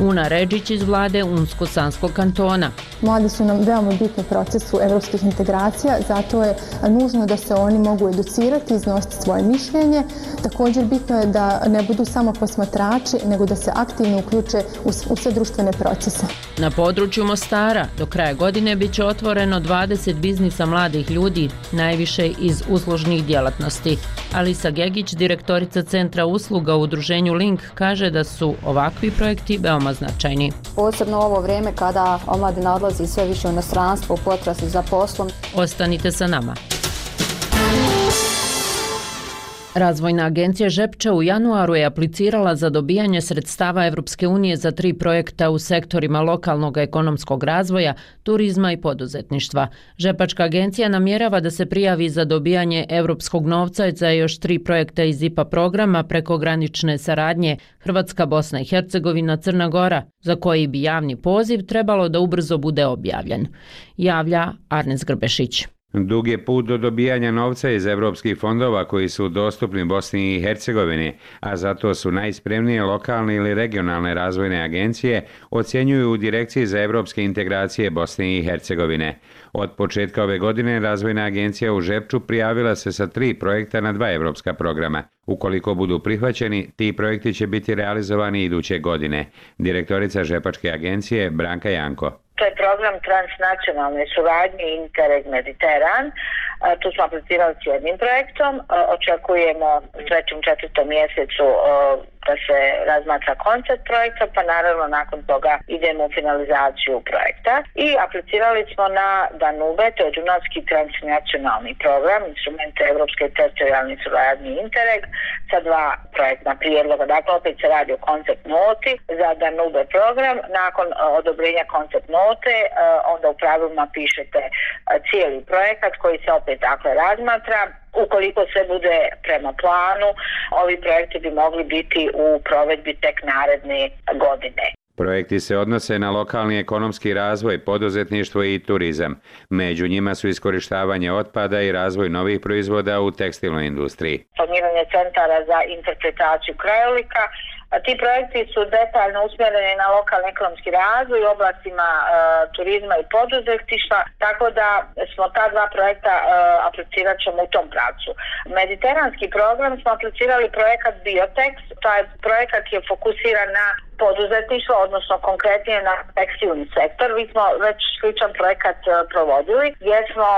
Una Redžić iz vlade Unsko-Sanskog kantona. Mladi su nam veoma bitni u procesu evropskih integracija, zato je nužno da se oni mogu educirati, iznositi svoje mišljenje. Također bitno je da ne budu samo posmatrači, nego da se aktivno uključe u sve društvene procese. Na području Mostara do kraja godine bit će otvoreno 20 biznisa mladih ljudi, najviše iz uslužnih djelatnosti. Alisa Gegić, direktorica Centra usluga u udruženju Link, kaže da su ovakvi projekti veoma značajni. Posebno u ovo vrijeme kada omladina odlazi sve više u inostranstvo u potrazi za poslom. Ostanite sa nama. Razvojna agencija Žepče u januaru je aplicirala za dobijanje sredstava Evropske unije za 3 projekta u sektorima lokalnog ekonomskog razvoja, turizma i poduzetništva. Žepačka agencija namjerava da se prijavi za dobijanje evropskog novca za još 3 projekta iz IPA programa prekogranične saradnje Hrvatska, Bosna i Hercegovina, Crna Gora, za koji bi javni poziv trebalo da ubrzo bude objavljen. Javlja Arnes Grbešić. Dug je put do dobijanja novca iz evropskih fondova koji su dostupni Bosni i Hercegovini, a zato su najspremnije lokalne ili regionalne razvojne agencije, ocjenjuju u Direkciji za evropske integracije Bosne i Hercegovine. Od početka ove godine Razvojna agencija u Žepču prijavila se sa 3 projekta na 2 evropska programa. Ukoliko budu prihvaćeni, ti projekti će biti realizovani iduće godine. Direktorica Žepačke agencije Branka Janko. To je program transnacionalne suradnje Interreg Mediteran. Tu smo aplicirali s jednim projektom. Očekujemo u 3. 4. mjesecu da se razmatra koncept projekta, pa naravno nakon toga idemo u finalizaciju projekta. I aplicirali smo na Danube, to je Dunavski transnacionalni program, instrumente Evropske teritorijalne suradnje Interreg, sa 2 projektna prijedloga. Dakle, opet se radi o koncept noti za Danube program. Nakon odobrenja koncept note, onda u pravilima pišete cijeli projekat koji se opet dakle razmatra. Ukoliko sve bude prema planu, ovi projekti bi mogli biti u provedbi tek naredne godine. Projekti se odnose na lokalni ekonomski razvoj, poduzetništvo i turizam. Među njima su iskorištavanje otpada i razvoj novih proizvoda u tekstilnoj industriji. Formiranje centara za interpretaciju krajolika. Ti projekti su detaljno usmjereni na lokalni ekonomski razvoj u oblastima turizma i poduzetništva, tako da smo ta 2 projekta aplicirat ćemo u tom pravcu. Mediteranski program smo aplicirali projekat Biotex, taj projekat je fokusiran na poduzetništvo, odnosno konkretnije na tekstilni sektor. Mi smo već sličan projekat provodili, gdje smo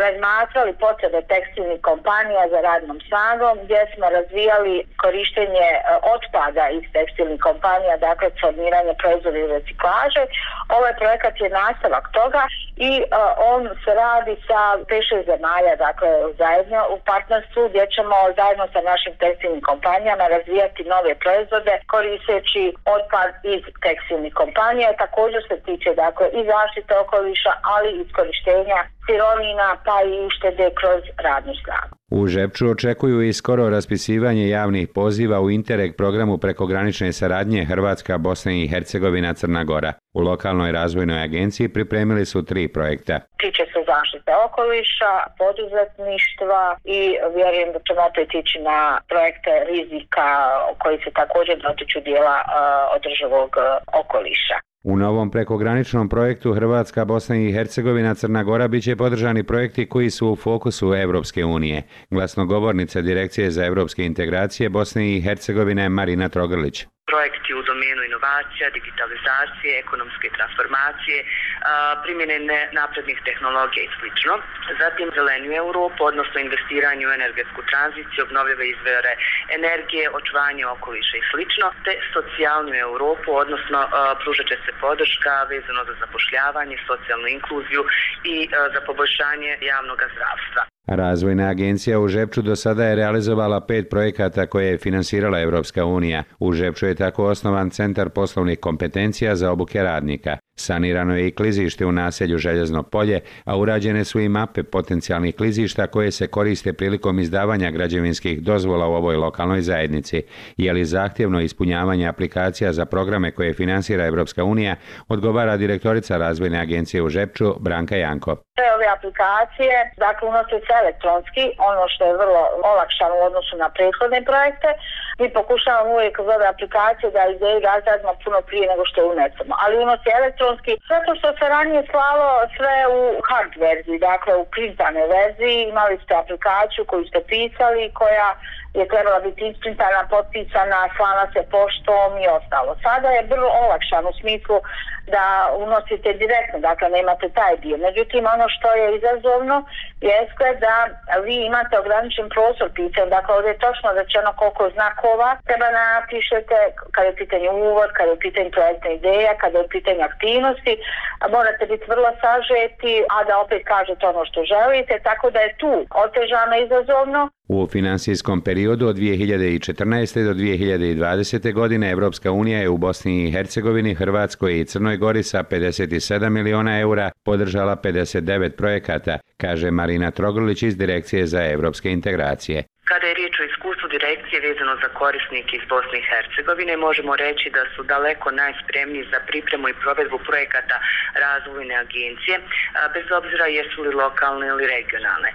razmatrali potrebe tekstilnih kompanija za radnom snagom, gdje smo razvijali korištenje otpada iz tekstilnih kompanija, dakle formiranje proizvoda i reciklaže. Ovaj projekat je nastavak toga i on se radi sa 5-6 zemalja, dakle zajedno u partnerstvu, gdje ćemo zajedno sa našim tekstilnim kompanijama razvijati nove proizvode koristeći otpad iz tekstilnih kompanija. Također se tiče dakle i zaštite okoliša, ali i iskorištenja sirovina pa i uštede kroz radnu snagu. U Žepču očekuju i skoro raspisivanje javnih poziva u Interreg programu prekogranične saradnje Hrvatska, Bosna i Hercegovina, Crna Gora. U lokalnoj razvojnoj agenciji pripremili su 3 projekta. Tiče se zaštite okoliša, poduzetništva i vjerujem da ćemo opet ići na projekte rizika koji se također dotiču dijela održivog okoliša. U novom prekograničnom projektu Hrvatska, Bosna i Hercegovina, Crna Gora biće podržani projekti koji su u fokusu Evropske unije. Glasnogovornica Direkcije za evropske integracije Bosne i Hercegovine Marina Trogrlić. Projekti u domenu inovacija, digitalizacije, ekonomske transformacije, primjene naprednih tehnologija i sl. Zatim zelenju Europu, odnosno investiranje u energetsku tranziciju, obnovljive izvore energije, očuvanje okoliša i sl. Te socijalnu Europu, odnosno pružat će se podrška vezano za zapošljavanje, socijalnu inkluziju i za poboljšanje javnog zdravstva. Razvojna agencija u Žepču do sada je realizovala 5 projekata koje je finansirala Evropska unija. U Žepču je tako osnovan Centar poslovnih kompetencija za obuke radnika. Sanirano je i klizište u naselju Željezno polje, a urađene su i mape potencijalnih klizišta koje se koriste prilikom izdavanja građevinskih dozvola u ovoj lokalnoj zajednici. Je li zahtjevno ispunjavanje aplikacija za programe koje finansira Evropska unija, odgovara direktorica Razvojne agencije u Žepču Branka Janko. Sve ove aplikacije, dakle, unose se elektronski, ono što je vrlo olakšano u odnosu na prethodne projekte. Mi pokušavamo uvijek kroz ove aplikacije da ideju razradimo puno prije nego što je unesemo, ali unosi elektronski, zato što se ranije slalo sve u hard verziji, dakle u printane verziji, imali ste aplikaciju koju ste pisali, koja je trebala biti isprintana, potpisana, slana se poštom i ostalo. Sada je vrlo olakšano u smislu da unosite direktno, dakle nemate taj dio. Međutim, ono što je izazovno jeste da vi imate ograničen prostor pitanja, dakle ovdje je točno rečeno koliko znakova treba napišete kada je pitanje uvod, kada je pitanje projektna ideja, kada je pitanje aktivnosti, a morate biti vrlo sažeti, a da opet kažete ono što želite, tako da je tu otežano izazovno. U finansijskom periodu od 2014. do 2020. godine Evropska unija je u Bosni i Hercegovini, Hrvatskoj i Crnoj Gori sa 57 miliona eura podržala 59 projekata, kaže Marina Trogrlić iz Direkcije za evropske integracije. Kada je riječ o iskustvu direkcije vezano za korisnike iz Bosne i Hercegovine, možemo reći da su daleko najspremniji za pripremu i provedbu projekata razvojne agencije, bez obzira jesu li lokalne ili regionalne.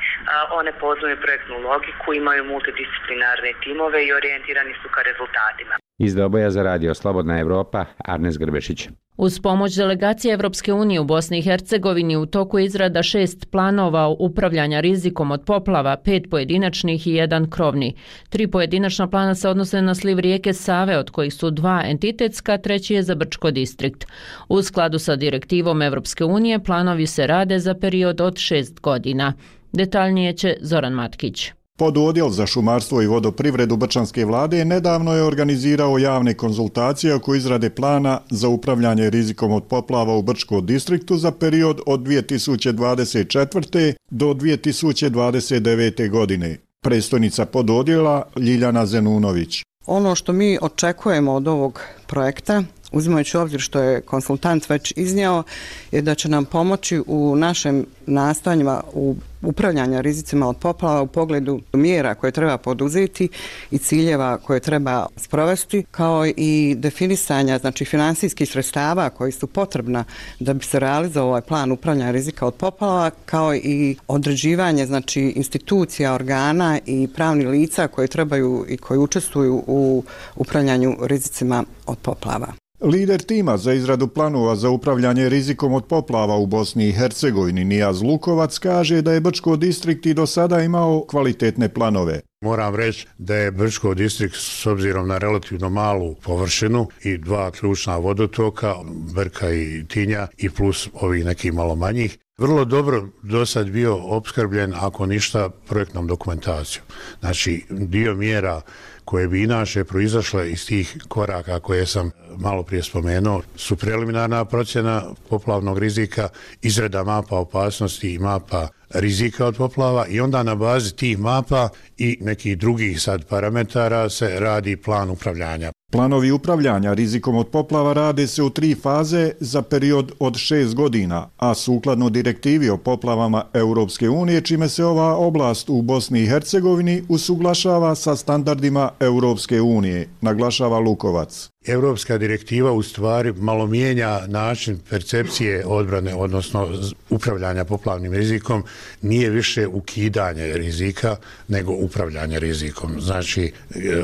One poznaju projektnu logiku, imaju multidisciplinarne timove i orijentirani su ka rezultatima. Iz Doboja za radio Slobodna Evropa, Arnes Grbešić. Uz pomoć delegacije Evropske unije u Bosni i Hercegovini u toku je izrada 6 planova upravljanja rizikom od poplava, 5 pojedinačnih i 1 krovni. 3 pojedinačna plana se odnose na sliv rijeke Save, od kojih su 2 entitetska, 3 je za Brčko distrikt. U skladu sa direktivom Evropske unije planovi se rade za period od 6 godina. Detaljnije će Zoran Matkić. Pododjel za šumarstvo i vodoprivredu Brčanske vlade nedavno je organizirao javne konzultacije oko izrade plana za upravljanje rizikom od poplava u Brčkom distriktu za period od 2024. do 2029. godine. Predstojnica pododjela Ljiljana Zenunović. Ono što mi očekujemo od ovog projekta, uzimajući u obzir što je konsultant već iznio, je da će nam pomoći u našem nastojanjima u upravljanja rizicima od poplava u pogledu mjera koje treba poduzeti i ciljeva koje treba sprovesti, kao i definisanja, znači finansijskih sredstava koji su potrebna da bi se realizovao ovaj plan upravljanja rizika od poplava, kao i određivanje, znači institucija, organa i pravnih lica koje trebaju i koji učestvuju u upravljanju rizicima od poplava. Lider tima za izradu planova za upravljanje rizikom od poplava u Bosni i Hercegovini Nijaz Lukovac kaže da je Brčko distrikt i do sada imao kvalitetne planove. Moram reći da je Brčko distrikt s obzirom na relativno malu površinu i 2 ključna vodotoka, Brka i Tinja i plus ovih nekih malo manjih, vrlo dobro do sad bio opskrbljen, ako ništa, projektnom dokumentacijom. Znači, dio mjera koje bi inače proizašle iz tih koraka koje sam malo prije spomenuo su preliminarna procjena poplavnog rizika, izrada mapa opasnosti i mapa rizika od poplava i onda na bazi tih mapa i nekih drugih sad parametara se radi plan upravljanja. Planovi upravljanja rizikom od poplava rade se u 3 faze za period od 6 godina, a sukladno direktivi o poplavama Europske unije, čime se ova oblast u Bosni i Hercegovini usuglašava sa standardima Europske unije, naglašava Lukovac. Europska direktiva u stvari malo mijenja način percepcije odbrane, odnosno upravljanja poplavnim rizikom, nije više ukidanje rizika, nego upravljanje rizikom. Znači,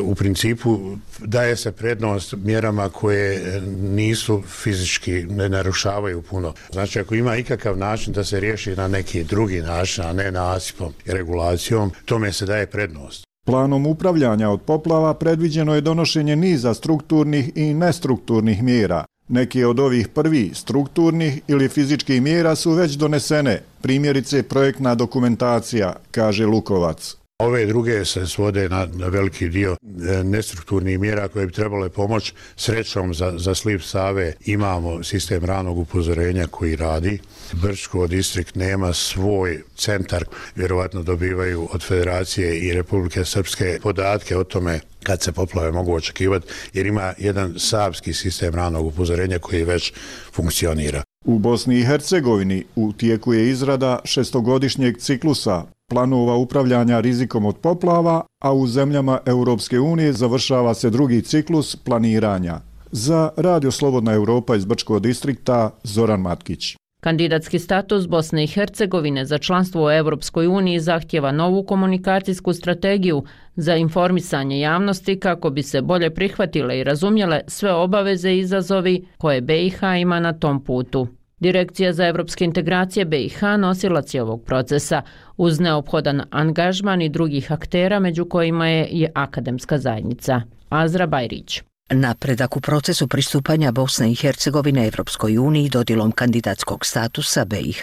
u principu daje se prednost mjerama koje nisu fizički, ne narušavaju puno. Znači, ako ima ikakav način da se riješi na neki drugi način, a ne nasipom i regulacijom, tome se daje prednost. Planom upravljanja od poplava predviđeno je donošenje niza strukturnih i nestrukturnih mjera. Neki od ovih prvih strukturnih ili fizičkih mjera su već donesene, primjerice projektna dokumentacija, kaže Lukovac. Ove druge se svode na veliki dio nestrukturnih mjera koje bi trebale pomoći. Srećom za sliv Save imamo sistem ranog upozorenja koji radi. Brčko distrikt nema svoj centar, vjerovatno dobivaju od Federacije i Republike Srpske podatke o tome kad se poplave mogu očekivati, jer ima jedan savski sistem ranog upozorenja koji već funkcionira. U Bosni i Hercegovini u tijeku je izrada šestogodišnjeg ciklusa planova upravljanja rizikom od poplava, a u zemljama Europske unije završava se drugi ciklus planiranja. Za Radio Slobodna Europa iz Brčkog distrikta, Zoran Matkić. Kandidatski status Bosne i Hercegovine za članstvo u Europskoj uniji zahtjeva novu komunikacijsku strategiju za informisanje javnosti kako bi se bolje prihvatile i razumjele sve obaveze i izazovi koje BiH ima na tom putu. Direkcija za evropske integracije BiH nosilac je ovog procesa uz neophodan angažman i drugih aktera, među kojima je i akademska zajednica. Azra Bajrić. Napredak u procesu pristupanja Bosne i Hercegovine Evropskoj uniji dodjelom kandidatskog statusa BiH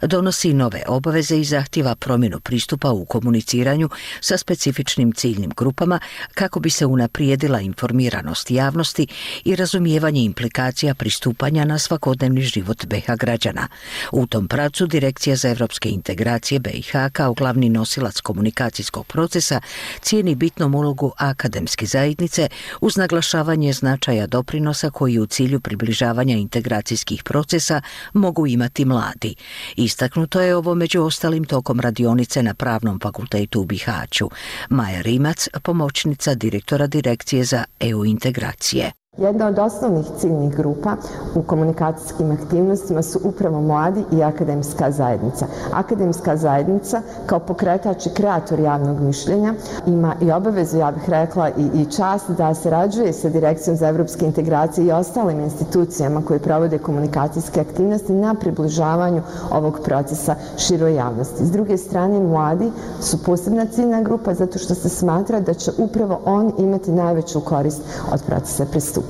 donosi nove obaveze i zahtjeva promjenu pristupa u komuniciranju sa specifičnim ciljnim grupama kako bi se unaprijedila informiranost javnosti i razumijevanje implikacija pristupanja na svakodnevni život BiH građana. U tom pravcu Direkcija za evropske integracije BiH kao glavni nosilac komunikacijskog procesa cijeni bitnom ulogu akademske zajednice uz naglašavanje značaja doprinosa koji u cilju približavanja integracijskih procesa mogu imati mladi. Istaknuto je ovo među ostalim tokom radionice na Pravnom fakultetu u Bihaću. Maja Rimac, pomoćnica direktora Direkcije za EU integracije. Jedna od osnovnih ciljnih grupa u komunikacijskim aktivnostima su upravo mladi i akademska zajednica. Akademska zajednica kao pokretač i kreator javnog mišljenja ima i obavezu, ja bih rekla, i čast da sarađuje sa Direkcijom za evropske integracije i ostalim institucijama koje provode komunikacijske aktivnosti na približavanju ovog procesa široj javnosti. S druge strane, mladi su posebna ciljna grupa zato što se smatra da će upravo on imati najveću korist od procesa pristupanja.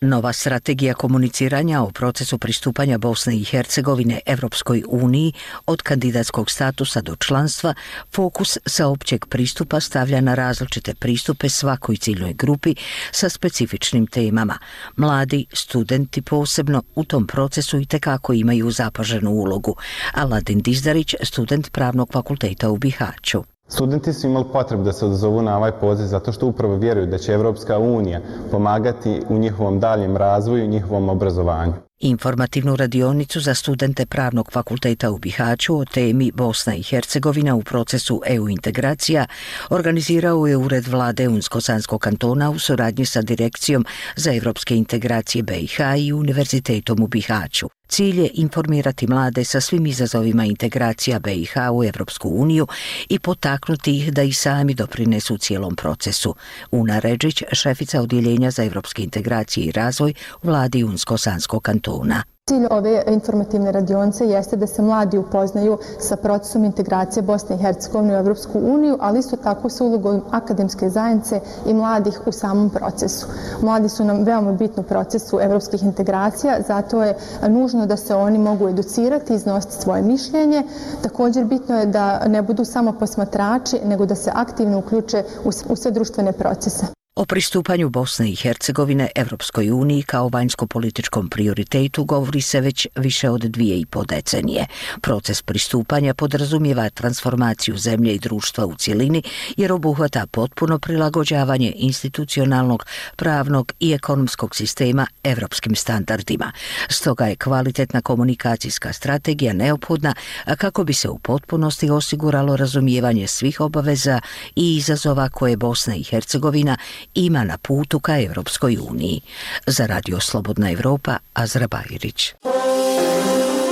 Nova strategija komuniciranja o procesu pristupanja Bosne i Hercegovine Evropskoj uniji od kandidatskog statusa do članstva fokus sa općeg pristupa stavlja na različite pristupe svakoj ciljnoj grupi sa specifičnim temama. Mladi, studenti posebno u tom procesu itekako imaju zapaženu ulogu. Aladin Dizdarić, student Pravnog fakulteta u Bihaću. Studenti su imali potrebu da se odazovu na ovaj poziv zato što upravo vjeruju da će Evropska unija pomagati u njihovom daljem razvoju i njihovom obrazovanju. Informativnu radionicu za studente Pravnog fakulteta u Bihaću o temi Bosna i Hercegovina u procesu EU integracija organizirao je Ured vlade Unsko-Sanskog kantona u suradnji sa Direkcijom za evropske integracije BiH i Univerzitetom u Bihaću. Cilj je informirati mlade sa svim izazovima integracija BiH u Evropsku uniju i potaknuti ih da i sami doprinesu cijelom procesu. Una Redžić, šefica Odjeljenja za evropske integracije i razvoj u vladi Unsko-Sanskog kantona. Cilj ove informativne radionice jeste da se mladi upoznaju sa procesom integracije Bosne i Hercegovine u Evropsku uniju, ali isto tako sa ulogom akademske zajednice i mladih u samom procesu. Mladi su nam veoma bitni u procesu evropskih integracija, zato je nužno da se oni mogu educirati i iznositi svoje mišljenje. Također bitno je da ne budu samo posmatrači, nego da se aktivno uključe u sve društvene procese. O pristupanju Bosne i Hercegovine Evropskoj uniji kao vanjsko-političkom prioritetu govori se već više od 2,5 decenije. Proces pristupanja podrazumijeva transformaciju zemlje i društva u cjelini jer obuhvata potpuno prilagođavanje institucionalnog, pravnog i ekonomskog sistema evropskim standardima. Stoga je kvalitetna komunikacijska strategija neophodna kako bi se u potpunosti osiguralo razumijevanje svih obaveza i izazova koje Bosna i Hercegovina ima na putu ka Evropskoj uniji. Za Radio Slobodna Evropa, Azra Bajrić.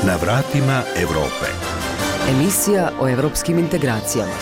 Na vratima Evrope. Emisija o evropskim integracijama.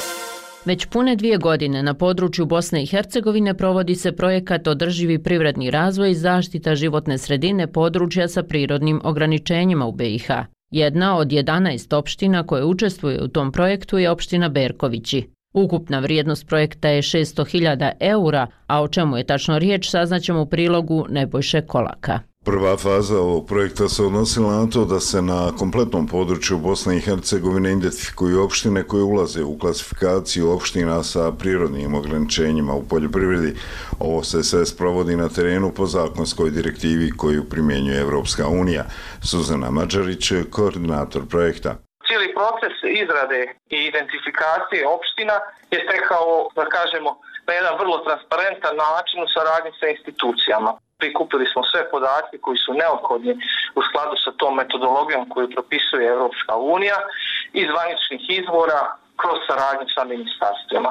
Već pune 2 godine na području Bosne i Hercegovine provodi se projekat Održivi privredni razvoj i zaštita životne sredine područja sa prirodnim ograničenjima u BiH. Jedna od 11 opština koje učestvuje u tom projektu je opština Berkovići. Ukupna vrijednost projekta je 600.000 eura, a o čemu je tačno riječ saznaćemo u prilogu Nebojše Kolaka. Prva faza ovog projekta se odnosila na to da se na kompletnom području Bosne i Hercegovine identifikuju opštine koje ulaze u klasifikaciju opština sa prirodnim ograničenjima u poljoprivredi. Ovo se sve sprovodi na terenu po zakonskoj direktivi koju primjenjuje Evropska unija. Suzana Mađarić, koordinator projekta. Cijeli proces izrade i identifikacije opština je tekao, da kažemo, na jedan vrlo transparentan način u saradnji sa institucijama. Prikupili smo sve podatke koji su neophodni u skladu sa tom metodologijom koju propisuje Evropska unija iz zvaničnih izvora kroz saradnju sa ministarstvima.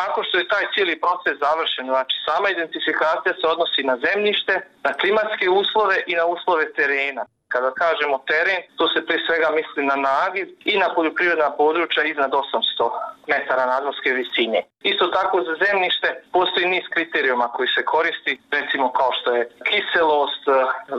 Nakon što je taj cijeli proces završen, znači sama identifikacija se odnosi na zemljište, na klimatske uslove i na uslove terena. Kada kažemo teren, to se prije svega misli na nagiv i na poljoprivredna područja iznad 800 metara nadmorske visine. Isto tako za zemljište postoji niz kriterijuma koji se koristi, recimo kao što je kiselost,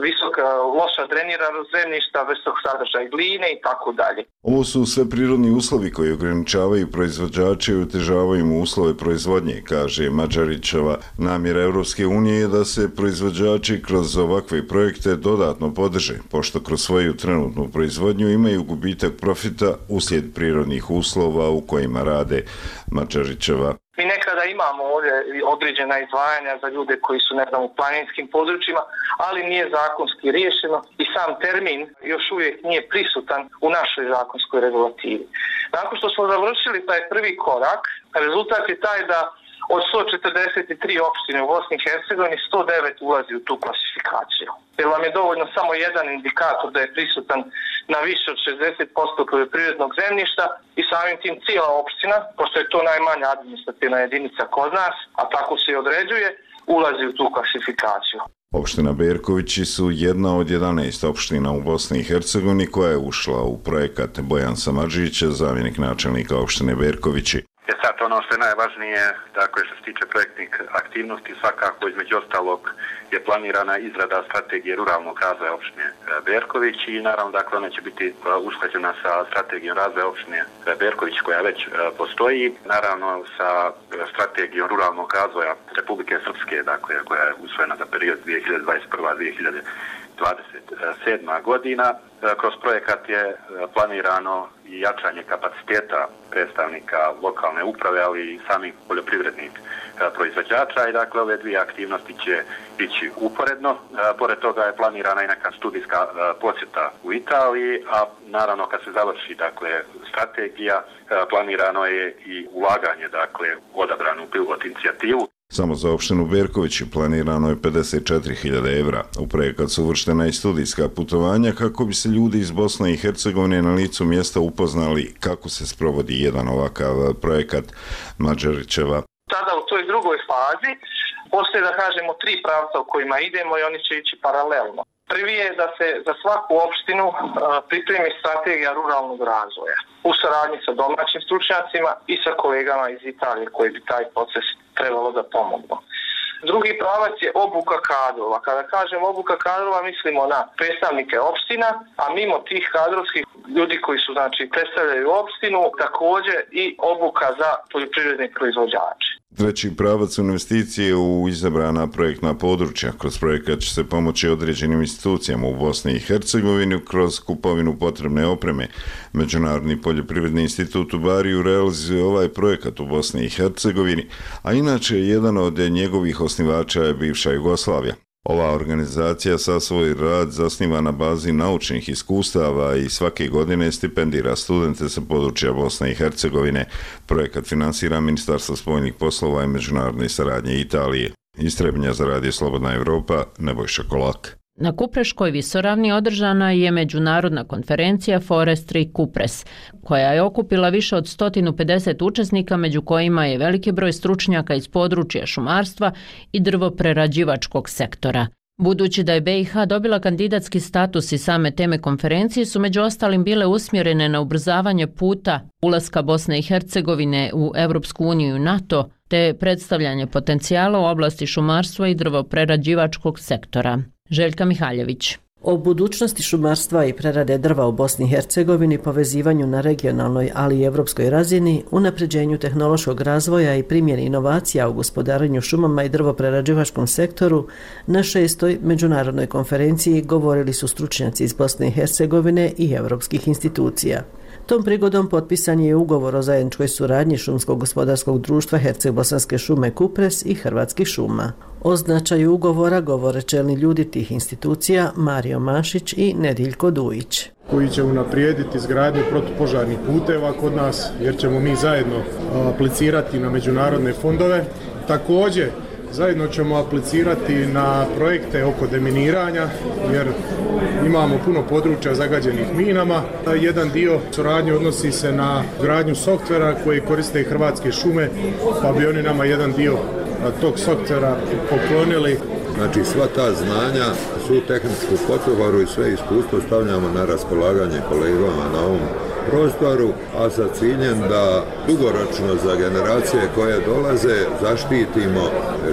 visoka, loša dreniranost zemljišta, visok sadržaj gline i tako dalje. Ovo su sve prirodni uslovi koji ograničavaju proizvođače i otežavaju mu uslove proizvodnje, kaže Mađarićeva. Namjera Evropske unije je da se proizvođači kroz ovakve projekte dodatno podrže, pošto kroz svoju trenutnu proizvodnju imaju gubitak profita uslijed prirodnih uslova u kojima rade. Mađarićeva. Mi nekada imamo ovdje određena izdvajanja za ljude koji su, u planinskim područjima, ali nije zakonski riješeno i sam termin još uvijek nije prisutan u našoj zakonskoj regulativi. Nakon što smo završili taj prvi korak, rezultat je taj da od 143 opštine u Bosni i Hercegovini 109 ulazi u tu klasifikaciju. Jer vam je dovoljno samo jedan indikator da je prisutan na više od 60% poljoprivrednog zemljišta i samim tim cijela opština, pošto je to najmanja administrativna jedinica kod nas, a tako se i određuje, ulazi u tu klasifikaciju. Opština Berkovići su jedna od 11 opština u Bosni i Hercegovini koja je ušla u projekat. Bojan Samadžić, zamjenik načelnika opštine Berkovići. Sad ono što je najvažnije, dakle što se tiče projektnih aktivnosti, svakako između ostalog je planirana izrada strategije ruralnog razvoja opštine Berković i naravno dakle ona će biti usklađena sa strategijom razvoja opštine Berković koja već postoji, naravno sa strategijom ruralnog razvoja Republike Srpske, dakle koja je usvojena za period 2021-2027 godina. Kroz projekat je planirano i jačanje kapaciteta predstavnika lokalne uprave, ali i samih poljoprivrednih proizvođača i dakle ove dvije aktivnosti će ići uporedno. Pored toga je planirana i neka studijska posjeta u Italiji, a naravno kad se završi dakle strategija, planirano je i ulaganje dakle odabranu pilot inicijativu. Samo za opštinu Berković planirano je 54.000 evra. U projekat su uvrštena i studijska putovanja kako bi se ljudi iz Bosne i Hercegovine na licu mjesta upoznali kako se sprovodi jedan ovakav projekat. Mađarićeva. Sada u toj drugoj fazi postoje, da kažemo, 3 pravca u kojima idemo i oni će ići paralelno. Prvi je da se za svaku opštinu pripremi strategija ruralnog razvoja u saradnji sa domaćim stručnjacima i sa kolegama iz Italije koji bi taj proces trebalo da pomognu. Drugi pravac je obuka kadrova. Kada kažem obuka kadrova mislimo na predstavnike opština, a mimo tih kadrovskih ljudi koji su predstavljaju opštinu, također i obuka za poljoprivredne proizvođače. Treći pravac investicije u izabrana projektna područja. Kroz projekat će se pomoći određenim institucijama u Bosni i Hercegovini kroz kupovinu potrebne opreme. Međunarodni poljoprivredni institut u Bariju realizuje ovaj projekat u Bosni i Hercegovini, a inače jedan od njegovih osnivača je bivša Jugoslavija. Ova organizacija sa svoj rad zasniva na bazi naučnih iskustava i svake godine stipendira studente sa područja Bosne i Hercegovine. Projekat finansira Ministarstvo spoljnih poslova i međunarodne saradnje Italije. Iz Trebinja za Radio Slobodna Evropa, Nebojša Kolak. Na Kupreškoj visoravni održana je međunarodna konferencija Forestry Kupres, koja je okupila više od 150 učesnika, među kojima je veliki broj stručnjaka iz područja šumarstva i drvoprerađivačkog sektora. Budući da je BiH dobila kandidatski status i same teme konferencije su među ostalim bile usmjerene na ubrzavanje puta ulaska Bosne i Hercegovine u Europsku uniju i NATO, te predstavljanje potencijala u oblasti šumarstva i drvoprerađivačkog sektora. Željka Mihaljević. O budućnosti šumarstva i prerade drva u Bosni i Hercegovini, povezivanju na regionalnoj, ali i evropskoj razini, unapređenju tehnološkog razvoja i primjeni inovacija u gospodarenju šumama i drvoprerađivačkom sektoru, na 6. međunarodnoj konferenciji govorili su stručnjaci iz Bosne i Hercegovine i evropskih institucija. Tom prigodom potpisan je ugovor o zajedničkoj suradnji Šumskog gospodarskog društva Herceg-Bosanske šume Kupres i Hrvatskih šuma. O značaju ugovora govore čelni ljudi tih institucija Mario Mašić i Nediljko Dujić. Koji će unaprijediti izgradnju protupožarnih puteva kod nas, jer ćemo mi zajedno aplicirati na međunarodne fondove. Također, zajedno ćemo aplicirati na projekte oko deminiranja, jer imamo puno područja zagađenih minama. Jedan dio suradnje odnosi se na gradnju softvera koji koriste Hrvatske šume, pa bi oni nama jedan dio tog softvera poklonili. Znači sva ta znanja, svu tehničku potporu i sve iskustvo stavljamo na raspolaganje kolegama na ovom prostoru, a sa ciljem da dugoročno za generacije koje dolaze zaštitimo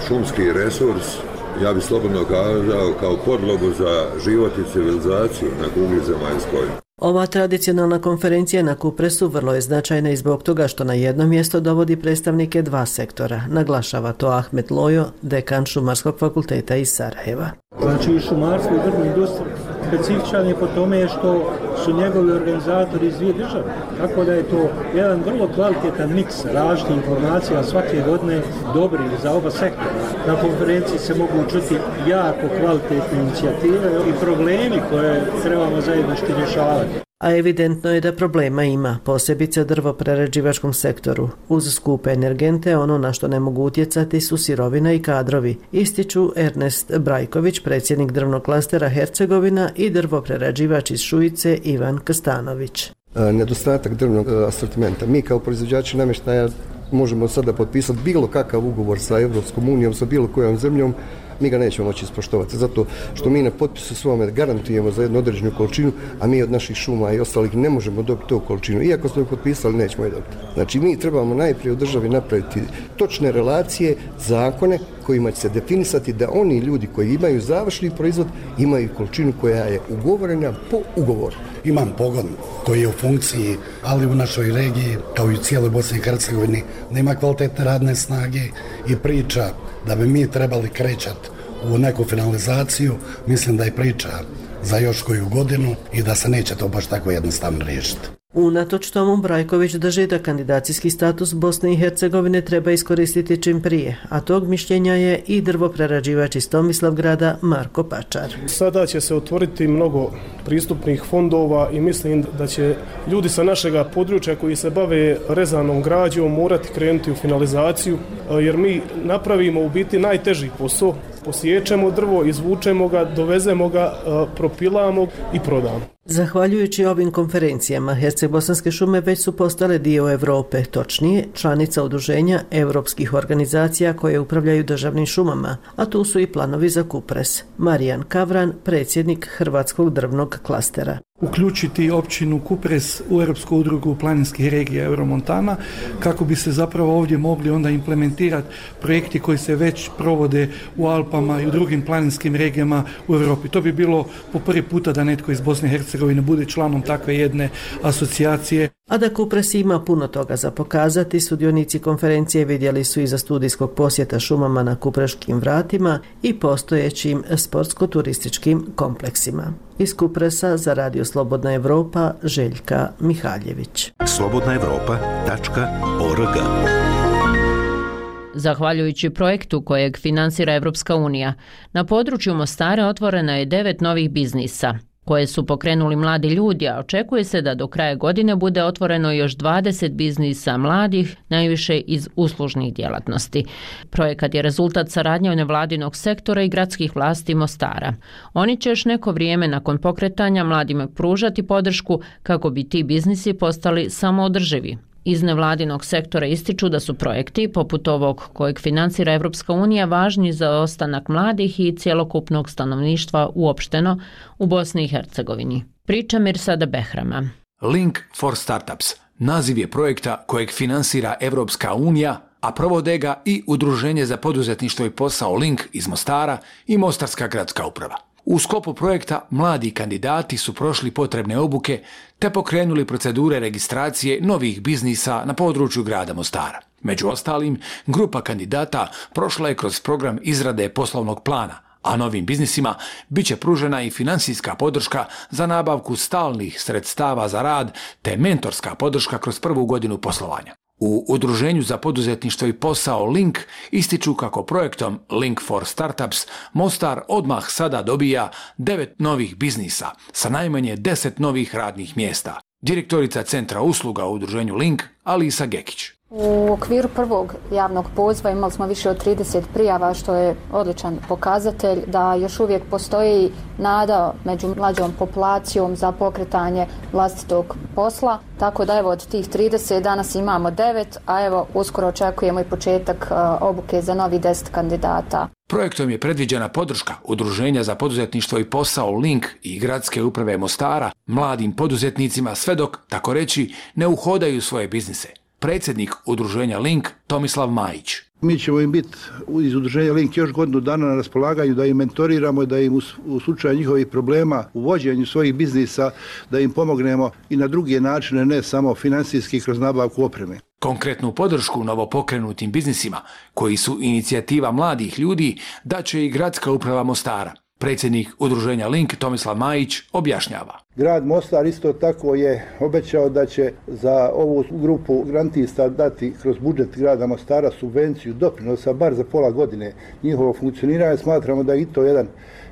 šumski resurs, ja bih slobodno kazao, kao podlogu za život i civilizaciju na kugli zemaljskoj. Ova tradicionalna konferencija na Kupresu vrlo je značajna i zbog toga što na jedno mjesto dovodi predstavnike dva sektora, naglašava to Ahmet Lojo, dekan Šumarskog fakulteta iz Sarajeva. Znači i šumarstvo i drvna industrija specifičan je po tome što su njegovi organizatori iz dvije države. Tako da je to jedan vrlo kvalitetan miks različitih informacija svake godine dobri za oba sektora. Na konferenciji se mogu čuti jako kvalitetne inicijative i problemi koje trebamo zajednički rješavati. A evidentno je da problema ima, posebice u drvoprerađivačkom sektoru. Uz skupe energente, ono na što ne mogu utjecati su sirovina i kadrovi, ističu Ernest Brajković, predsjednik drvnog klastera Hercegovina, i drvoprerađivač iz Šujice Ivan Kstanović. Nedostatak drvnog asortimenta. Mi kao proizvođači namještaja možemo sada potpisati bilo kakav ugovor sa Europskom unijom, sa bilo kojom zemljom, mi ga nećemo moći ispoštovati, zato što mi na potpisu svome garantujemo za jednu određenu količinu, a mi od naših šuma i ostalih ne možemo dobiti tu količinu. Iako smo je potpisali, nećemo je dobiti. Znači, mi trebamo najprije u državi napraviti točne relacije, zakone kojima će se definisati da oni ljudi koji imaju završni proizvod imaju količinu koja je ugovorena po ugovoru. Imam pogon koji je u funkciji, ali u našoj regiji, kao i u cijeloj Bosni i Hercegovini, nema kvalitetne radne snage i priča da bi mi trebali krećati u neku finalizaciju, mislim da je priča za još koju godinu i da se neće to baš tako jednostavno riješiti. Unatoč tomu Brajković drži da kandidacijski status Bosne i Hercegovine treba iskoristiti čim prije, a tog mišljenja je i drvoprerađivač iz Tomislavgrada Marko Pačar. Sada će se otvoriti mnogo pristupnih fondova i mislim da će ljudi sa našega područja koji se bave rezanom građom morati krenuti u finalizaciju, jer mi napravimo u biti najteži posao. Posjećemo drvo, izvučemo ga, dovezemo ga, propilamo i prodamo. Zahvaljujući ovim konferencijama, Herceg-Bosanske šume već su postale dio Europe, točnije članica udruženja europskih organizacija koje upravljaju državnim šumama, a tu su i planovi za Kupres. Marijan Kavran, predsjednik Hrvatskog drvnog klastera. Uključiti općinu Kupres u Europsku udrugu planinskih regija Euromontana kako bi se zapravo ovdje mogli onda implementirati projekti koji se već provode u Alpama i u drugim planinskim regijama u Europi. To bi bilo po prvi puta da netko iz Bosne i Hercegovine bude članom takve jedne asocijacije. A da Kupres ima puno toga za pokazati, sudionici konferencije vidjeli su iza studijskog posjeta šumama na Kupreškim vratima i postojećim sportsko-turističkim kompleksima. Iz Kupresa za Radio Slobodna Evropa, Željka Mihaljević. slobodnaevropa.org. Zahvaljujući projektu kojeg finansira Evropska unija, na području Mostara otvoreno je 9 novih biznisa. koje su pokrenuli mladi ljudi, a očekuje se da do kraja godine bude otvoreno još 20 biznisa mladih, najviše iz uslužnih djelatnosti. Projekat je rezultat saradnje nevladinog sektora i gradskih vlasti Mostara. Oni će još neko vrijeme nakon pokretanja mladima pružati podršku kako bi ti biznisi postali samoodrživi. Iz nevladinog sektora ističu da su projekti, poput ovog kojeg financira Evropska unija, važni za ostanak mladih i cjelokupnog stanovništva uopšteno u Bosni i Hercegovini. Priča Mirsada Behrama. Link for Startups naziv je projekta kojeg finansira Evropska unija, a provode ga i Udruženje za poduzetništvo i posao Link iz Mostara i Mostarska gradska uprava. U sklopu projekta mladi kandidati su prošli potrebne obuke te pokrenuli procedure registracije novih biznisa na području grada Mostara. Među ostalim, grupa kandidata prošla je kroz program izrade poslovnog plana, a novim biznisima bit će pružena i finansijska podrška za nabavku stalnih sredstava za rad te mentorska podrška kroz prvu godinu poslovanja. U Udruženju za poduzetništvo i posao Link ističu kako projektom Link for Startups Mostar odmah sada dobija 9 novih biznisa sa najmanje 10 novih radnih mjesta. Direktorica Centra usluga u Udruženju Link, Alisa Gekić. U okviru prvog javnog poziva imali smo više od 30 prijava, što je odličan pokazatelj da još uvijek postoji nada među mlađom populacijom za pokretanje vlastitog posla. Tako da evo od tih 30 danas imamo 9, a evo uskoro očekujemo i početak obuke za novi 10 kandidata. Projektom je predviđena podrška Udruženja za poduzetništvo i posao Link i Gradske uprave Mostara mladim poduzetnicima sve dok, tako reći, ne uhodaju svoje biznise. Predsjednik Udruženja Link, Tomislav Majić. Mi ćemo im biti iz Udruženja Link još godinu dana na raspolaganju da im mentoriramo, da im u slučaju njihovih problema u vođenju svojih biznisa, da im pomognemo i na druge načine, ne samo financijski kroz nabavku opreme. Konkretnu podršku novopokrenutim biznisima, koji su inicijativa mladih ljudi, daće i Gradska uprava Mostara. Predsjednik Udruženja Link, Tomislav Majić, objašnjava. Grad Mostar isto tako je obećao da će za ovu grupu grantista dati kroz budžet grada Mostara subvenciju doprinosa bar za pola godine njihovog funkcioniranja. Smatramo da je i to jedan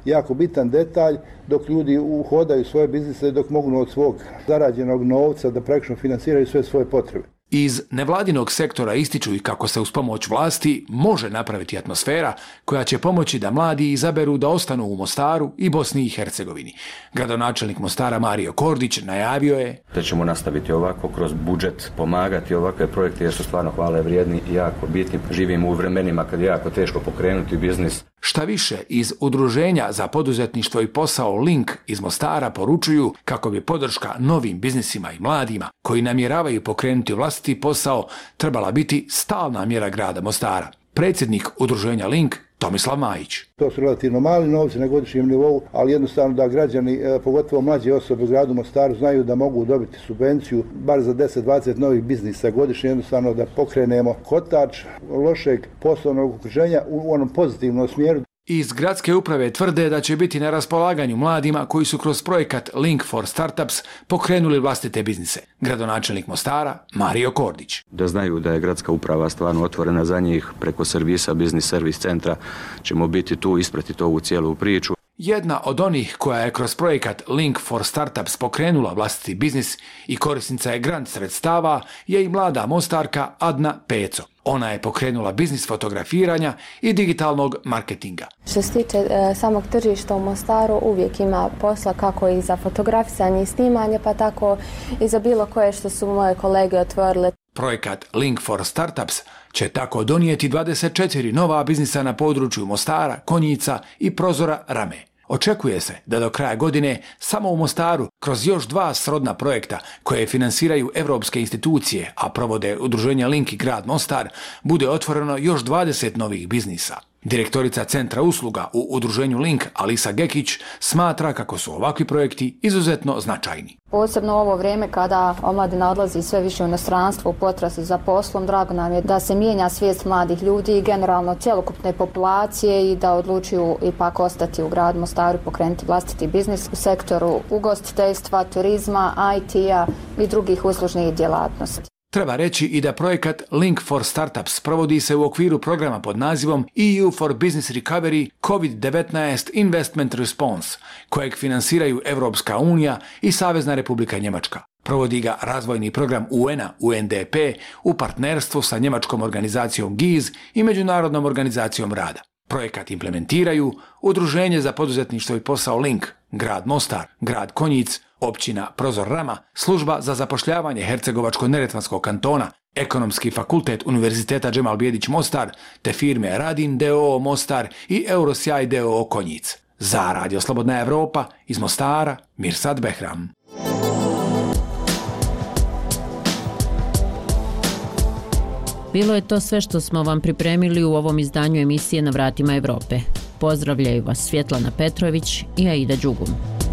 jako bitan detalj dok ljudi uhodaju svoje biznise, dok mogu od svog zarađenog novca da praktično finansiraju sve svoje potrebe. Iz nevladinog sektora ističu i kako se uz pomoć vlasti može napraviti atmosfera koja će pomoći da mladi izaberu da ostanu u Mostaru i Bosni i Hercegovini. Gradonačelnik Mostara Mario Kordić najavio je da ćemo nastaviti ovako kroz budžet, pomagati ovakve projekte jer su stvarno hvale vrijedni i jako bitni. Živimo u vremenima kad je jako teško pokrenuti biznis. Šta više, iz Udruženja za poduzetništvo i posao Link iz Mostara poručuju kako bi podrška novim biznisima i mladima koji namjeravaju pokrenuti vlastiti posao trebala biti stalna mjera grada Mostara. Predsjednik Udruženja Link, Tomislav Majić. To su relativno mali novci na godišnjem nivou, ali jednostavno da građani, pogotovo mlađe osobe u gradu Mostaru, znaju da mogu dobiti subvenciju bar za 10-20 novih biznisa godišnje, jednostavno da pokrenemo kotač lošeg poslovnog okruženja u onom pozitivnom smjeru. Iz Gradske uprave tvrde da će biti na raspolaganju mladima koji su kroz projekat Link for Startups pokrenuli vlastite biznise. Gradonačelnik Mostara, Mario Kordić. Da znaju da je Gradska uprava stvarno otvorena za njih, preko servisa, biznis servis centra ćemo biti tu, ispratiti ovu cijelu priču. Jedna od onih koja je kroz projekat Link for Startups pokrenula vlastiti biznis i korisnica je grant sredstava je i mlada Mostarka Adna Peco. Ona je pokrenula biznis fotografiranja i digitalnog marketinga. Što se tiče samog tržišta u Mostaru, uvijek ima posla kako i za fotografisanje i snimanje, pa tako i za bilo koje što su moje kolege otvorile. Projekat Link for Startups će tako donijeti 24 nova biznisa na području Mostara, Konjica i Prozora Rame. Očekuje se da do kraja godine samo u Mostaru kroz još 2 srodna projekta koje finansiraju evropske institucije, a provode Udruženja Link i grad Mostar, bude otvoreno još 20 novih biznisa. Direktorica Centra usluga u Udruženju Link, Alisa Gekić, smatra kako su ovakvi projekti izuzetno značajni. Posebno u ovo vrijeme kada omladina odlazi sve više u inostranstvo u potrazi za poslom, drago nam je da se mijenja svijest mladih ljudi i generalno cjelokupne populacije i da odlučuju ipak ostati u gradu Mostaru i pokrenuti vlastiti biznis u sektoru ugostiteljstva, turizma, IT-a i drugih uslužnih djelatnosti. Treba reći i da projekat Link for Startups provodi se u okviru programa pod nazivom EU for Business Recovery COVID-19 Investment Response, kojeg finansiraju Evropska unija i Savezna Republika Njemačka. Provodi ga razvojni program UN-a UNDP u partnerstvu sa njemačkom organizacijom GIZ i Međunarodnom organizacijom rada. Projekat implementiraju Udruženje za poduzetništvo i posao Link, grad Mostar, grad Konjic, općina Prozor Rama, služba za zapošljavanje Hercegovačko-neretvanskog kantona, Ekonomski fakultet Univerziteta Džemal Bijedić Mostar, te firme Radin d.o.o. Mostar i Eurosjaj d.o.o. Konjic. Za Radio Slobodna Evropa iz Mostara, Mirsad Behram. Bilo je to sve što smo vam pripremili u ovom izdanju emisije Na vratima Evrope. Pozdravljaju vas Svjetlana Petrović i Aida Đugum.